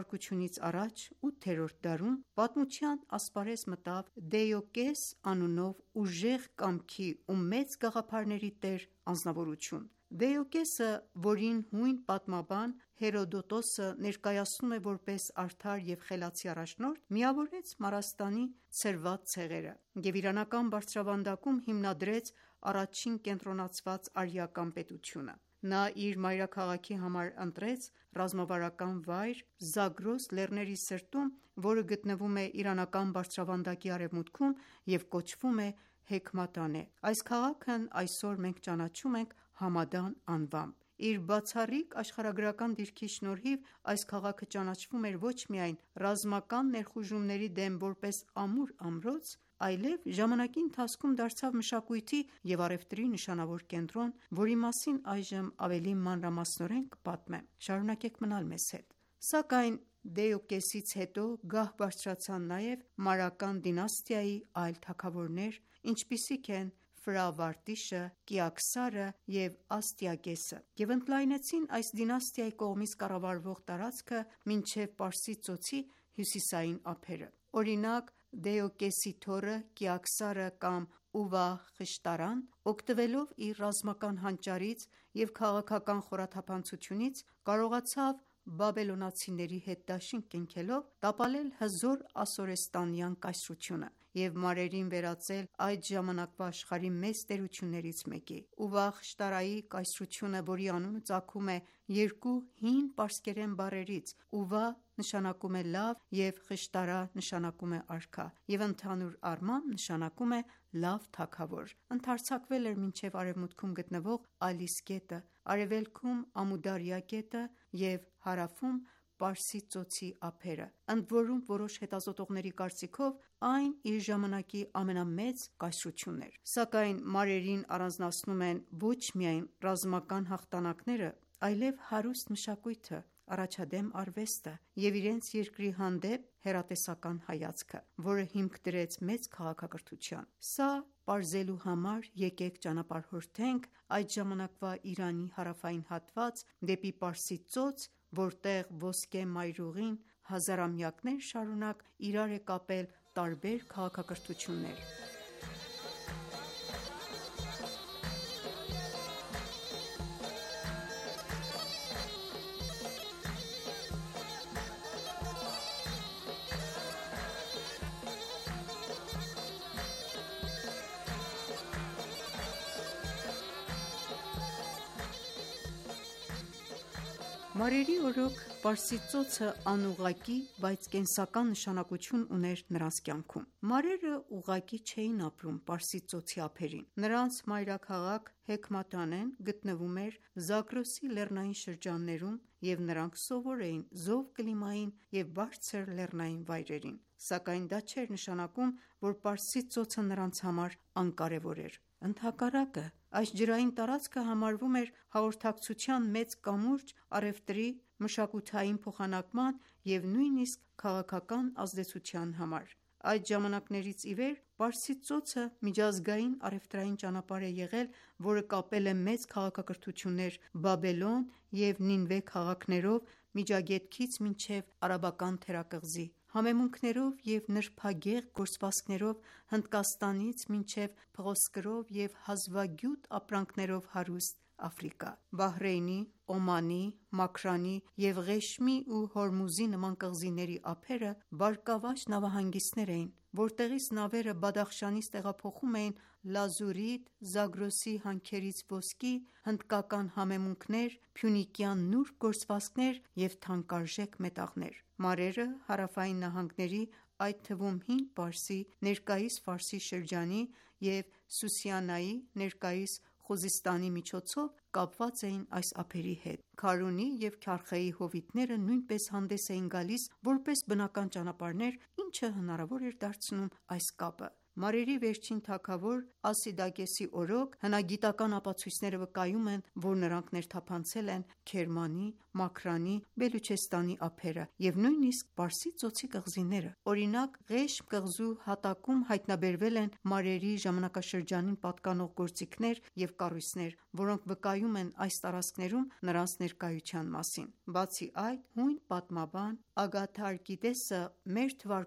առաջ 8-րդ դարում պատմության ասպարեզ մտավ Դեյոկես անունով ուժեղ կամքի ու մեծ գաղափարների տեր անձնավորություն։ Դեյոկեսը, որին հույն պատմաբան Հերոդոտոսը ներկայացնում է որպես արդար և խելացի առաջնորդ, միավորեց Մարաստանի ցրված ցեղերը և իրանական բարձրավանդակում հիմնադրեց առաջին կենտրոնացված արիական պետությունը։ Նա իր մայրաքաղաքի համար ընտրեց ռազմավարական վայր Զագրոս լեռների սրտում, որը գտնվում է իրանական բարձրավանդակի արևմուտքում և կոչվում է Հեքմատանե։ Այս քաղաքն այսօր մենք ճանաչում ենք Համադան անվամբ։ Իր բացառիկ աշխարհագրական դիրքի շնորհիվ այս քաղաքը ճանաչվում էր ոչ միայն ռազմական ներխուժումների դեմ որպես ամուր ամրոց, այլև ժամանակի ընթացքում դարձավ մշակույթի և առևտրի նշանավոր կենտրոն, որի մասին այժմ ավելի մանրամասնորեն կպատմեմ։ Շարունակեք մնալ մեզ հետ։ Սակայն Դեյոկեսից հետո գահ բարձրացան նաև Մարական դինաստիայի այլ թագավորներ, ինչպիսիք են Ֆրավարտիշը, Կիաքսարը և Աստիագեսը, և ընդլայնեցին այս դինաստիայի կողմից կառավարվող տարածքը մինչև Պարսից ծոցի հյուսիսային ափերը։ Օրինակ, Դեյոկեսի թոռը Կիաքսարը կամ Ուվախշտարան, օգտվելով իր ռազմական հանճարից և քաղաքական խորաթափանցությունից, կարողացավ բաբելոնացիների հետ դաշինք կնքելով տապալել հզոր ասորեստանյան կայսրությունը և մարերին վերածել այդ ժամանակվա աշխարհի մեծ տերություններից մեկի։ Ուվախշտարայի կայսրությունը, որի անունը ծագում է երկու հին պարսկերեն բառերից՝ Ուվա նշանակում է լավ և Խշտարա նշանակում է արքա, և ընդհանուր առմամբ նշանակում է լավ թագավոր, ընդարձակվել էր մինչև արևմուտքում գտնվող Ալիս գետը, արևելքում Ամուդարյա գետը և հարավում Պարսից ծոցի ափերը, ընդորում որոշ հետազոտողների կարծիքով այն իր ժամանակի ամենամեծ կայսրությունն էր։ Սակայն մարերին առանձնացնում են ոչ միայն ռազմական հաղթանակները, այլև հարուստ մշակույթը, առաջադեմ արվեստը և իրենց երկրի հանդեպ հեռատեսական հայացքը, որը հիմք դրեց մեծ քաղաքակրթության։ Սա պարզելու համար եկեք ճանապարհորդենք այդ ժամանակվա Իրանի հարավային հատված դեպի Պարսից ծոց, որտեղ ոսկե մայրուղին հազարամյակներ շարունակ իրար է կապել տարբեր քաղաքակրթություններ։ Մարերի օրոք Պարսից ծոցը անուղղակի, բայց կենսական նշանակություն ուներ նրանց կյանքում։ Մարերը ուղղակի չէին ապրում Պարսից ծոցի ափերին։ Նրանց մայրաքաղաք Հեքմատանեն գտնվում էր Զագրոսի լեռնային շրջաններում, և նրանք սովոր էին զով կլիմային և բարձր լեռնային վայրերին։ Սակայն դա չէր նշանակում, որ Պարսից ծոցը նրանց համար անկարևոր էր։ Ընդհակառակը, այս ջրային տարածքը համարվում էր հաղորդակցության մեծ կամուրջ առևտրի, մշակութային փոխանակման և նույնիսկ քաղաքական ազդեցության համար։ Այդ ժամանակներից ի վեր Պարսից ծոցը միջազգային առևտրային ճանապարհ է եղել, որը կապել է մեծ քաղաքակրթություններ Բաբելոն և Նինվե քաղաքներով Միջագետքից մինչև Արաբական թերակղզի, համեմունքներով և նրբագեղ գործվածքներով Հնդկաստանից մինչև փղոսկրով և հազվագյուտ ապրանքներով հարուստ Աֆրիկա։ Բահրեյնի, Օմանի, Մաքրանի և Ղեշմի ու Հորմուզի նման կղզիների ափերը բարգավաճ նավահանգիստներ էին, որտեղից նավերը Բադախշանից տեղափոխում էին լազուրիտ, Զագրոսի հանքերից ոսկի, հնդկական համեմունքներ, փյունիկյան նուրբ գործվածքներ և թանկարժեք մետաղներ։ Մարերը հարավային նահանգների, այդ թվում Հին Պարսի, ներկայիս Ֆարսի շրջանի և Սուսյանայի, ներկայիս Խուզստանի միջոցով կապված էին այս ափերի հետ։ Քարունի և Քարխեի հովիտները նույնպես հանդես էին գալիս որպես բնական ճանապարհներ, ինչը հնարավոր էր դարձնում այս կապը։ Մարերի վերջին թագավոր Ասիդակեսի օրոք հնագիտական ապացույցները վկայում են, որ նրանք ներթափանցել են Քերմանի, Մաքրանի, Բելուչեստանի ափերը և նույնիսկ Պարսից ծոցի կղզիները: Օրինակ, Ղեշմ կղզու հատակում հայտնաբերվել են մարերի ժամանակաշրջանին պատկանող գործիքներ և կառույցներ, որոնք վկայում են այս տարածքներում նրանց ներկայության մասին: Բացի այդ, հույն պատմաբան Ագաթարկիդեսը մ.թ.ա.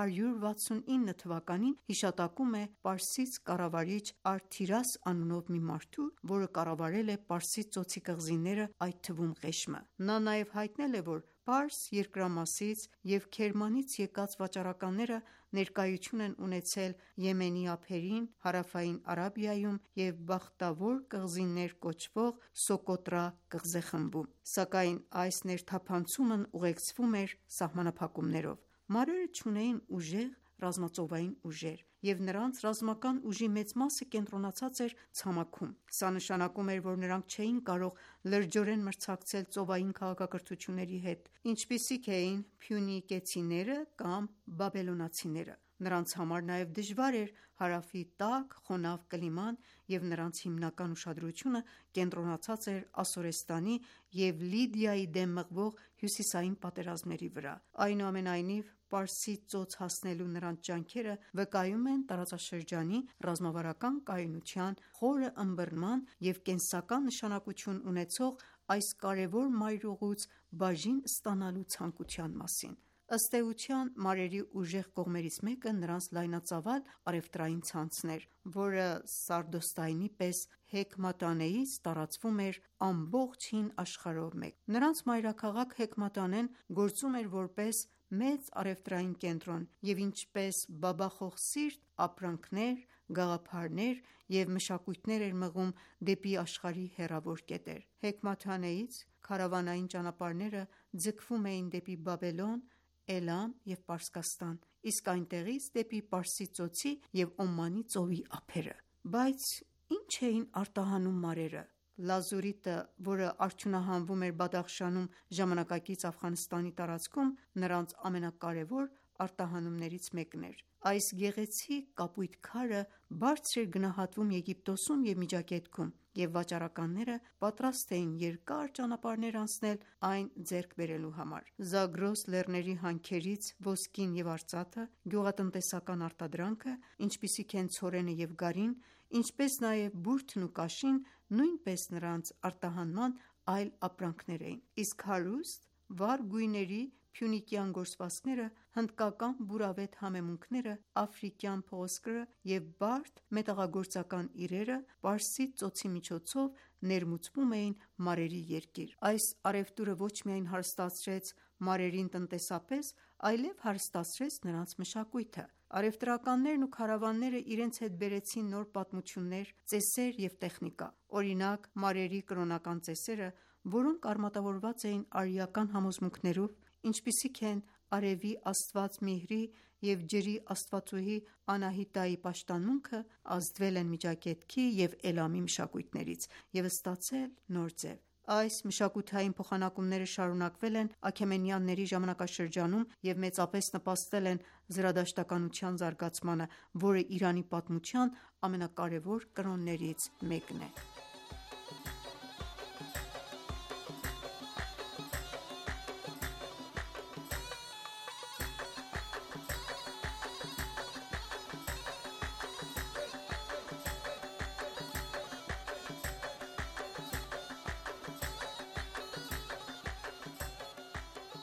169 թվականին հիշատակում է պարսից կառավարիչ Արթիրաս անունով մի մարդու, որը կառավարել է Պարսից ծոցի կղզիները, այդ թվում Ղեշմը: Նա նաև հայտնել է, որ Պարս երկրամասից և Քերմանից եկած վաճառականները ներկայություն են ունեցել Եմենի ափերին, հարավային Արաբիայում և Բախտավոր կղզիներ կոչվող Սոկոտրա կղզեխմբում: Սակայն այս ներթափանցումն ուղեկցվում էր սահմանափակումներով: Մարերը չունեին ուժեղ ռազմածովային ուժեր, և նրանց ռազմական ուժի մեծ մասը կենտրոնացած էր ցամաքում: Սա նշանակում էր, որ նրանք չէին կարող լրջորեն մրցակցել ծովային քաղաքակրթությունների հետ, ինչպիսիք էին փյունիկեցիները կամ բաբելոնացիները: Նրանց համար նաև դժվար էր հարավի տաք, խոնավ կլիման և նրանց հիմնական ուշադրությունը կենտրոնացած էր Ասորեստանի և Լիդիայի դեմ մղվող հյուսիսային պատերազմների վրա: Այնուամենայնիվ, Պարսից ծոց հասնելու նրանց ջանքերը վկայում են տարածաշրջանի ռազմավարական կայունության, խորը ըմբռնման և կենսական նշանակություն ունեցող այս կարևոր մայրուղուց բաժին ստանալու ցանկության մասին: Ըստ էության, մարերի ուժեղ կողմերից մեկը նրանց լայնածավալ առևտրային ցանցն էր, որը Սարդոստայնի պես Հեքմատանեից տարածվում էր ամբողջ հին աշխարհով մեկ: Նրանց մայրաքաղաք Հեքմատանեն գործում էր որպես մեծ առևտրային կենտրոն և ինչպես բաբախոխսիրտ ապրանքներ, գաղափարներ և մշակույթներ էր մղում դեպի աշխարհի հեռավոր կետեր: Հեքմաթանեից քարավանային ճանապարհները ձգվում էին դեպի Բաբելոն, Էլամ և Պարսկաստան, իսկ այնտեղից դեպի Պարսից ծոցի և Օմանի ծովի ափերը: Բայց ի՞նչ էին արտահանում մարերը: Լազուրիտը, որը արդյունահանվում էր Բադախշանում ժամանակակից Աֆղանստանի տարածքում, նրանց ամենակարևոր արտահանումներից մեկն էր: Այս գեղեցիկ կապույտ քարը բարձր էր գնահատվում Եգիպտոսում և Միջագետքում, և վաճառականները պատրաստ էին երկար ճանապարհներ անցնել այն ձեռք բերելու համար: Զագրոս լեռների հանքերից ոսկին և արծաթը, գյուղատնտեսական արտադրանքը, ինչպիսիք են ցորենը և գարին, ինչպես նաև բուրդն ու կաշին նույնպես նրանց արտահանման այլ ապրանքներ էին: Իսկ հարուստ, վառ գույների փյունիկյան գործվածքները, հնդկական բուրավետ համեմունքները, աֆրիկյան փղոսկրը և բարդ մետաղագործական իրերը Պարսից ծոցի միջոցով ներմուծվում էին մարերի երկիր: Այս առևտուրը ոչ միայն հարստացրեց մարերին տնտեսապես, այլև հարստացրեց նրանց մշակույթը: Առևտրականներն ու քարավանները իրենց հետ բերեցին նոր պատմություններ, ծեսեր և տեխնիկա: Օրինակ, մարերի կրոնական ծեսերը, որոնք արմատավորված էին արիական համոզմունքներով, ինչպիսիք են արևի աստված Միհրի և ջրի աստվածուհի Անահիտայի պաշտամունքը, ազդվել են Միջագետքի և Էլամի մշակույթներից և ստացել նոր ձև: Այս մշակութային փոխանակումները շարունակվել են Աքեմենյանների ժամանակաշրջանում և մեծապես նպաստել են զրադաշտականության զարգացմանը, որը Իրանի պատմության ամենակարևոր կրոններից մեկն է: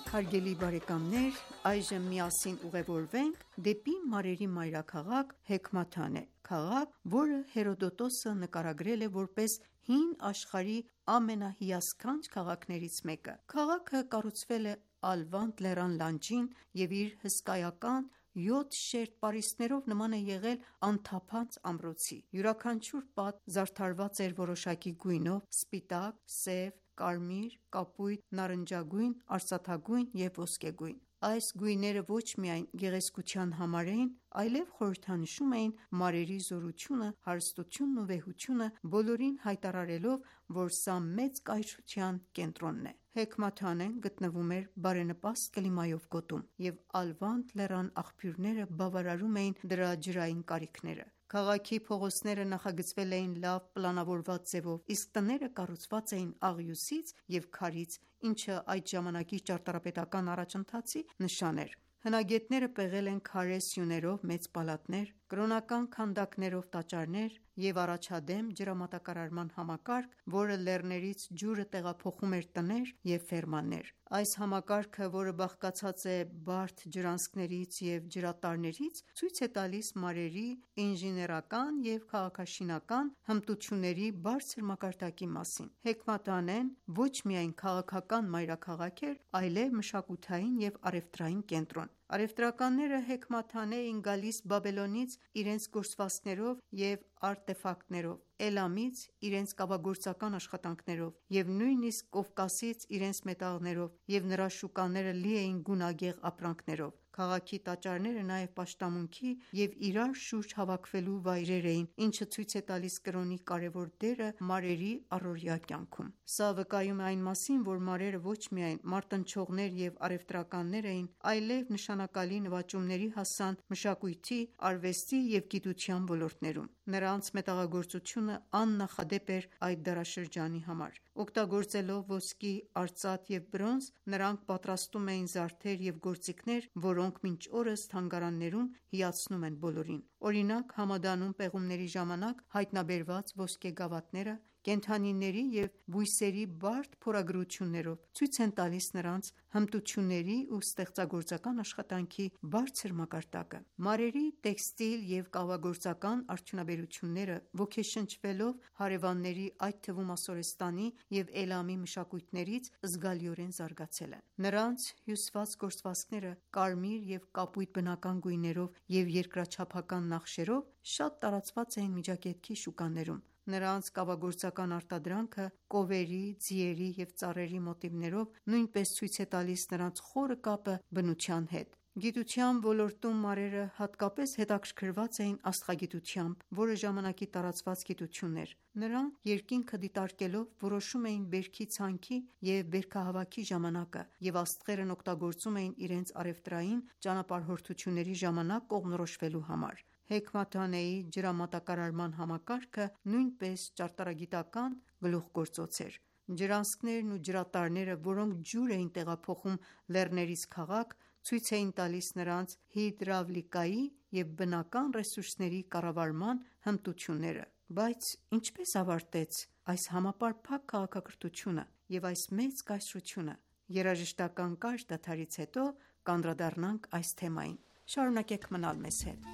Հարգելի բարեկամներ, այժմ միասին ուղևորվենք դեպի մարերի մայրաքաղաք Հեքմաթանե, քաղաք, որը Հերոդոտոսը նկարագրել է որպես հին աշխարհի ամենահիասքանչ քաղաքներից մեկը: Քաղաքը կառուցվել է Ալվանդ լեռան լանջին և իր հսկայական 7 շերտ պարիսպներով նման է եղել անթափանց ամրոցի: Յուրաքանչյուր պատ զարդարված էր որոշակի գույնով՝ սպիտակ, սև, կարմիր, կապույտ, նարնջագույն, արծաթագույն և ոսկեգույն: Այս գույները ոչ միայն գեղեցկության համար էին, այլև խորհրդանշում էին մարերի զորությունը, հարստությունն ու վեհությունը, բոլորին հայտարարելով, որ սա մեծ կայսրության կենտրոնն է։ Հեքմաթանեն գտնվում էր բարենպաստ կլիմայով գոտում, և Ալվանդ լեռան աղբյուրները բավարարում էին դրա ջրային կարիքները։ Քաղաքի փողոցները նախագծվել էին լավ պլանավորված ձևով, իսկ տները կառուցված էին աղյուսից և քարից, ինչը այդ ժամանակի ճարտարապետական առաջընթացի նշան էր։ Հնագետները պեղել են քարե սյուներով մեծ պալատներ, կրոնական քանդակներով տաճարներ և առաջադեմ ջրամատակարարման համակարգ, որը լեռներից ջուրը տեղափոխում էր տներ և ֆերմաներ։ Այս համակարգը, որը բաղկացած է բարդ ջրանցքներից և ջրատարներից, ցույց է տալիս մարերի ինժեներական և քաղաքաշինական հմտությունների բարձր մակարդակի մասին։ Հեքմաթանեն ոչ միայն քաղաքական մայրաքաղաք էր, այլև մշակութային և առևտրային կենտրոն։ Առևտրականները Հեքմաթանե էին գալիս Բաբելոնից իրենց գործվածքներով և արտեֆակտներով, Էլամից իրենց կավագործական աշխատանքներով և նույնիսկ Կովկասից իրենց մետաղներով, և նրա շուկաները լի էին գունագեղ ապրանքներով։ Քաղաքի տաճարները նաև պաշտամունքի և իրար շուրջ հավաքվելու վայրեր էին, ինչը ցույց է տալիս կրոնի կարևոր դերը մարերի առօրյա կյանքում։ Սա վկայում է այն մասին, որ մարերը ոչ միայն մարտնչողներ և առևտրականներ էին, այլև նշանակալի նվաճումների հասան մշակույթի, արվեստի և գիտության ոլորտներում։ Նրանց մետաղագործությունը աննախադեպ էր այդ դարաշրջանի համար։ Օգտագործելով ոսկի, արծաթ և բրոնզ, նրանք պատրաստում էին զարդեր և գործիքներ, որոնք մինչ օրս թանգարաններում հիացնում են բոլորին։ Օրինակ, Համադանում պեղումների ժամանակ հայտնաբերված ոսկե գավաթները կենդանիների և բույսերի բարդ փորագրություններով ցույց են տալիս նրանց հմտությունների ու ստեղծագործական աշխատանքի բարձր մակարդակը։ Մարերի տեքստիլ և կավագործական արդյունաբերությունները, ոգեշնչվելով հարևանների, այդ թվում Ասորեստանի և Էլամի մշակույթներից, զգալիորեն զարգացել են։ Նրանց հյուսված գործվածքները կարմիր և կապույտ բնական գույներով և երկրաչափական նախշերով շատ տարածված էին Միջագետքի շուկաներում։ Նրանց կավագործական արտադրանքը կովերի, ձիերի և ծառերի մոտիվներով նույնպես ցույց է տալիս նրանց խորը կապը բնության հետ։ Գիտության ոլորտում մարերը հատկապես հետաքրքրված էին աստղագիտությամբ, որը ժամանակի տարածված գիտություն էր։ Նրանք երկինքը դիտարկելով որոշում էին բերքի ցանքի և բերքահավաքի ժամանակը, և աստղերն օգտագործում էին իրենց առևտրային ճանապարհորդությունների ժամանակ կողմնորոշվելու համար։ Հեքմաթանեի ջրամատակարարման համակարգը նույնպես ճարտարագիտական գլուխգործոց էր։ Ջրանցքներն ու ջրատարները, որոնք ջուր էին տեղափոխում լեռներից քաղաք, ցույց էին տալիս նրանց հիդրավլիկայի և բնական ռեսուրսների կառավարման հմտությունները։ Բայց ինչպե՞ս ավարտեց այս համապարփակ քաղաքակրթությունը և այս մեծ կայսրությունը։ Երաժշտական կարճ դադարից հետո կանդրադառնանք այս թեմային։ Շարունակեք մնալ մեզ հետ։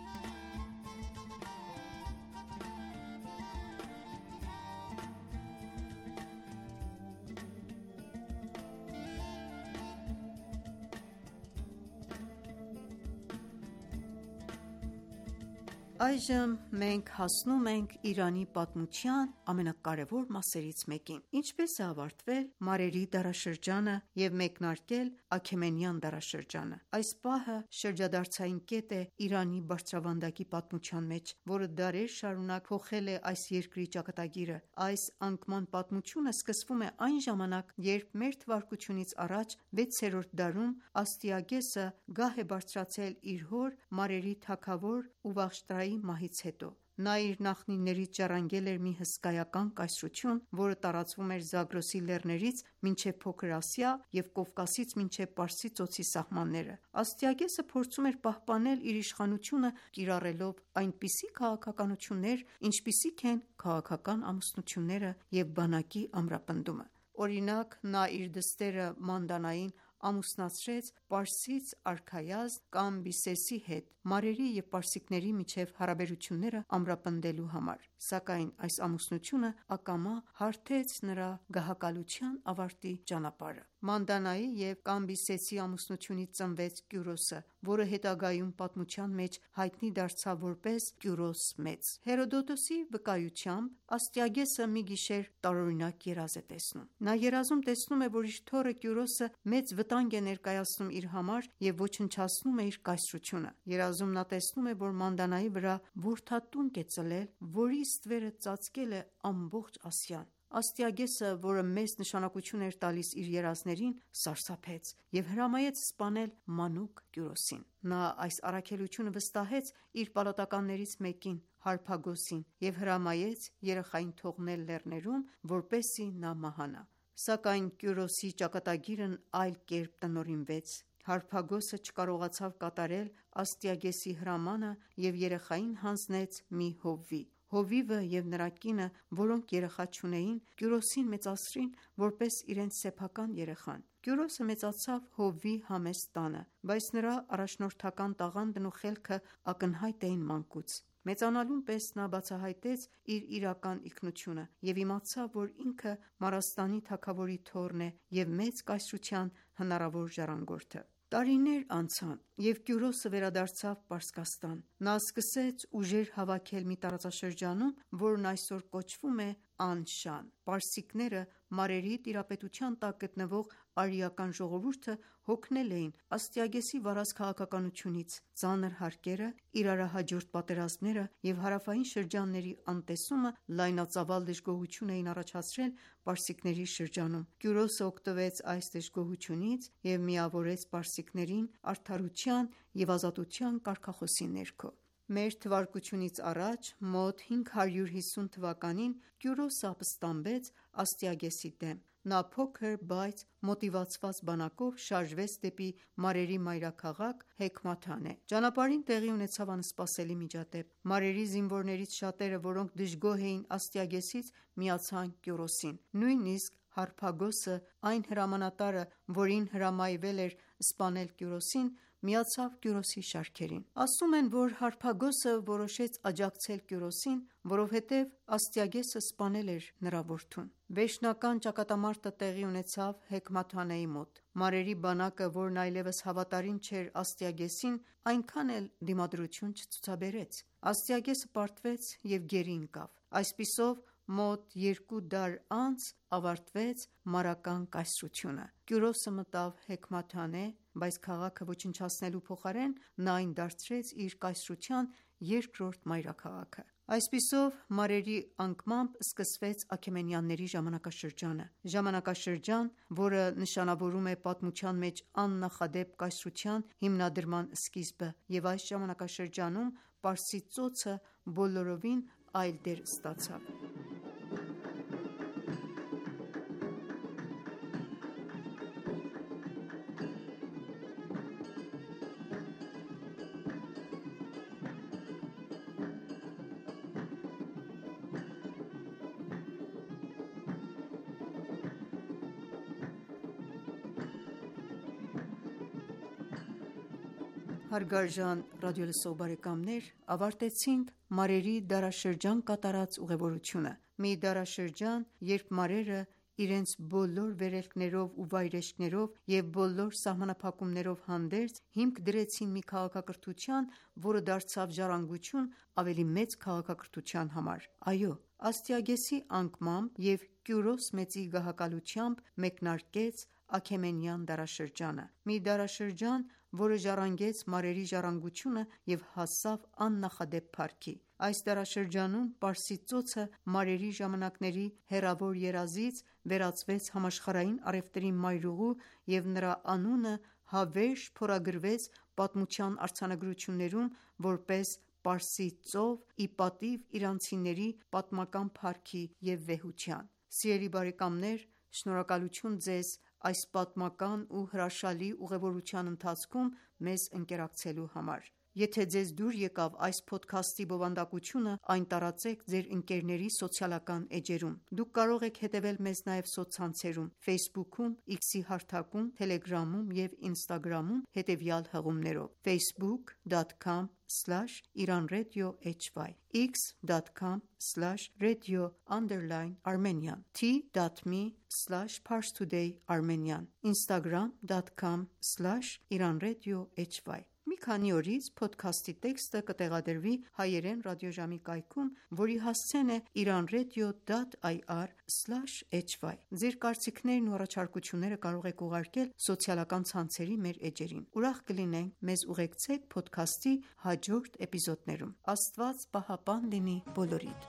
Այժմ մենք հասնում ենք Իրանի պատմության ամենակարևոր մասերից մեկին։ Ինչպե՞ս է ավարտվել մարերի դարաշրջանը և մեկնարկել Աքեմենյան դարաշրջանը։ Այս պահը շրջադարձային կետ է Իրանի բարձրավանդակի պատմության մեջ, որը դարեր շարունակ փոխել է այս երկրի ճակատագիրը։ Այս անկման պատմությունը սկսվում է այն ժամանակ, երբ մ.թ.ա. 6-րդ դարում Աստիագեսը գահ է բարձրացել իր հոր մարերի թագավոր Ուվաղշտրայի մահից հետո։ Նա իր նախնիներից ժառանգել էր մի հսկայական կայսրություն, որը տարածվում էր Զագրոսի լեռներից մինչև Փոքր Ասիա և Կովկասից մինչև Պարսից ծոցի սահմանները։ Աստիագեսը փորձում էր պահպանել իր իշխանությունը, կիրառելով այնպիսի քաղաքականություններ, ինչպիսիք են քաղաքական ամուսնությունները և բանակի ամրապնդումը։ Օրինակ, նա իր դստերը Մանդանային ամուսնացրեց պարսից արքայազն Կամբիսեսի հետ՝ մարերի և պարսիկների միջև հարաբերությունները ամրապնդելու համար։ սակայն այս ամուսնությունը ակամա հարթեց նրա գահակալության ավարտի ճանապարհը։ Մանդանայի և Կամբիսեցի ամուսնությունից ծնվեց Կյուրոսը, որը հետագայում պատմության մեջ հայտնի դարձավ որպես Կյուրոս Մեծ։ Հերոդոտոսի վկայությամբ Աստիագեսը մի գիշեր տարօրինակ երազ է տեսնում։ Նա երազում տեսնում է, որ իր թոռը Կյուրոսը մեծ վտանգ է ներկայացնում իր համար և ոչնչացնում է իր կայսրությունը։ Երազում նա տեսնում է, որ Մանդանայի վրա որդատունկ է ծլել, որի ստվերը ծածկել է ամբողջ Ասիան։ Աստիագեսը, որը մեծ նշանակություն էր տալիս իր երազներին, սարսափեց և հրամայեց սպանել մանուկ Կյուրոսին։ Նա այս առաքելությունը վստահեց իր պալատականներից մեկին՝ Հարփագոսին, և հրամայեց երեխային թողնել լեռներում, որպեսզի նա մահանա։ Սակայն Կյուրոսի ճակատագիրն այլ կերպ տնօրինվեց։ Հարփագոսը չկարողացավ կատարել Աստիագեսի հրամանը և երեխային հանձնեց մի հովվի։ Հովիվը և նրա կինը, որոնք երեխա չունեին, Կյուրոսին մեծացրին որպես իրենց սեփական երեխան։ Կյուրոսը մեծացավ հովվի համեստ տանը, բայց նրա առաջնորդական տաղանդն ու խելքը ակնհայտ էին մանկուց։ Մեծանալուն պես նա բացահայտեց իր իրական ինքնությունը և իմացավ, որ ինքը Մարաստանի թագավորի թոռն է և մեծ կայսրության հնարավոր ժառանգորդը։ Տարիներ անցան, և Կյուրոսը վերադարձավ Պարսկաստան։ Նա սկսեց ուժեր հավաքել մի տարածաշրջանում, որն այսօր կոչվում է Անշան։ Պարսիկները մարերի տիրապետության տակ գտնվող արիական ժողովուրդը հոգնել էին Աստիագեսի վարած քաղաքականությունից։ Ծանր հարկերը, իրարահաջորդ պատերազմները և հարավային շրջանների անտեսումը լայնածավալ դժգոհություն էին առաջացրել պարսիկների շրջանում։ Կյուրոսը օգտվեց այս դժգոհությունից և միավորեց պարսիկներին արդարության և ազատության կարգախոսի ներքո։ Մ.թ.ա. մոտ 550 թվականին Կյուրոսը ապստամբեց Աստիագեսի դեմ։ Նա փոքր, բայց մոտիվացված բանակով շարժվեց դեպի մարերի մայրաքաղաք Հեքմաթանե։ Ճանապարհին տեղի ունեցավ անսպասելի միջադեպ։ Մարերի զինվորներից շատերը, որոնք դժգոհ էին Աստիագեսից, միացան Կյուրոսին։ Նույնիսկ Հարփագոսը, այն հրամանատարը, որին հրամայվել էր սպանել Կյուրոսին, միացավ Կյուրոսի շարքերին։ Ասում են, որ Հարփագոսը որոշեց աջակցել Կյուրոսին, որովհետև Աստիագեսը սպանել էր նրա որդուն։ Վերջնական ճակատամարտը տեղի ունեցավ Հեքմաթանեի մոտ։ Մարերի բանակը, որն այլևս հավատարիմ չէր Աստիագեսին, այնքան էլ դիմադրություն չցուցաբերեց։ Աստիագեսը պարտվեց և գերի ընկավ։ Այսպիսով մոտ 2 դար անց ավարտվեց մարական կայսրությունը։ Կյուրոսը մտավ Հեքմաթանե, բայց քաղաքը ոչնչացնելու փոխարեն նա այն դարձրեց իր կայսրության երկրորդ մայրաքաղաքը։ Այսպիսով մարերի անկմամբ սկսվեց Աքեմենյանների ժամանակաշրջանը։ Ժամանակաշրջան, որը նշանավորում է պատմության մեջ աննախադեպ կայսրության հիմնադրման սկիզբը, և այս ժամանակաշրջանում Պարսից ծոցը բոլորովին այլ դեր ստացավ։ Հարգարժան ռադիոլսող բարեկամներ, ավարտեցինք մարերի դարաշրջան կատարած ուղևորությունը։ Մի դարաշրջան, երբ մարերը իրենց բոլոր վերելքներով ու վայրէջքներով և բոլոր սահմանափակումներով հանդերձ, հիմք դրեցին մի քաղաքակրթության, որը դարձավ ժառանգություն ավելի մեծ քաղաքակրթության համար։ Այո, Աստիագեսի անկմամբ և Կյուրոս Մեծի գահակալությամբ մեկնարկեց Աքեմենյան դարաշրջանը։ Մի դարաշրջան, որը ժառանգեց մարերի ժառանգությունը և հասավ աննախադեպ փառքի։ Այս դարաշրջանում Պարսից ծոցը մարերի ժամանակների հեռավոր երազից վերածվեց համաշխարհային առևտրի մայրուղու և նրա անունը հավերժ փորագրվեց պատմության արձանագրություններում որպես Պարսից ծով՝ ի պատիվ իրանցիների պատմական փառքի և վեհության։ Սիրելի բարեկամներ, շնորհակալություն ձեզ այս պատմական ու հրաշալի ուղևորության ընթացքում մեզ ընկերակցելու համար։ Եթե ձեզ դուր եկավ այս փոդքասթի բովանդակությունը, այն տարածեք ձեր ընկերների սոցիալական էջերում։ Դուք կարող եք հետևել մեզ նաև սոցցանցերում Facebook-ում, X-ի հարթակում, Telegram-ում և Instagram-ում հետևյալ հղումներով՝ facebook.com/iranradiohy, x.com/radio_Armenian, t.me/parstoday_armenian, instagram.com/iranradiohy։ Մի քանի օրից փոդքասթի տեքստը կտեղադրվի հայերեն ռադիոժամի կայքում, որի հասցեն է iranradio.ir/hy։ Ձեր կարծիքներն ու առաջարկությունները կարող եք ուղարկել սոցիալական ցանցերի մեր էջերին։ Ուրախ կլինենք մեզ ուղեկցեք փոդքասթի հաջորդ էպիզոդներում։ Աստված պահապան լինի բոլորիդ։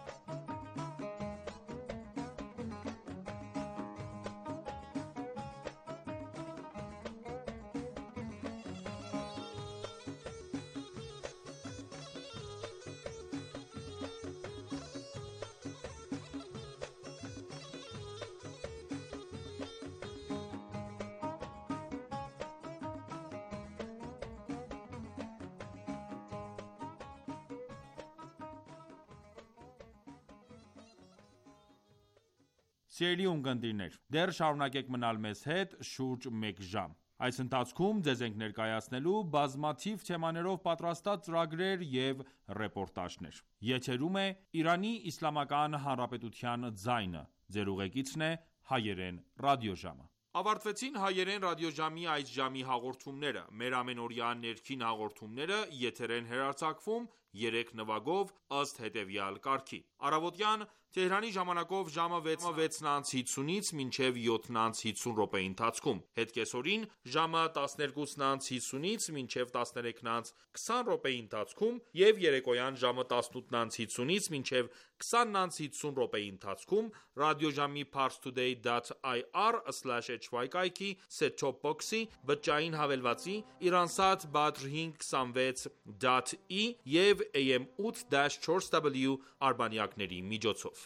Սիրելի ունկնդիրներ, դեռ շարունակեք մնալ մեզ հետ շուրջ մեկ ժամ։ Այս ընթացքում ձեզ ենք ներկայացնելու բազմաթիվ թեմաներով պատրաստած ծրագրեր և ռեպորտաժներ։ Եթերում է Իրանի Իսլամական Հանրապետության ձայնը։ Ձեր ուղեկիցն է հայերեն ռադիոժամը։ Ավարտվեցին հայերեն ռադիոժամի այս ժամի հաղորդումները։ Մեր ամենօրյա ներքին հաղորդումները եթեր են հեռարձակվում 3 նվագով ըստ հետևյալ կարգի։ Առավոտյան Թեհրանի ժամանակով ժամը 6:50-ից մինչև 7:50 րոպեի ընթացքում, հետկեսօրին ժամը 12:50-ից մինչև 13:20 րոպեի ընթացքում և երեկոյան ժամը 18:50-ից մինչև 20:50 րոպեի ընթացքում ռադիոժամի parstoday.ir/hy կայքի set-top box-ի, բջջային հավելվածի, Iransat Badr 526.e և AM 8-4W արբանյակների միջոցով։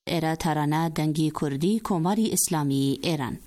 era tarana dangi kurdi komari islami eran.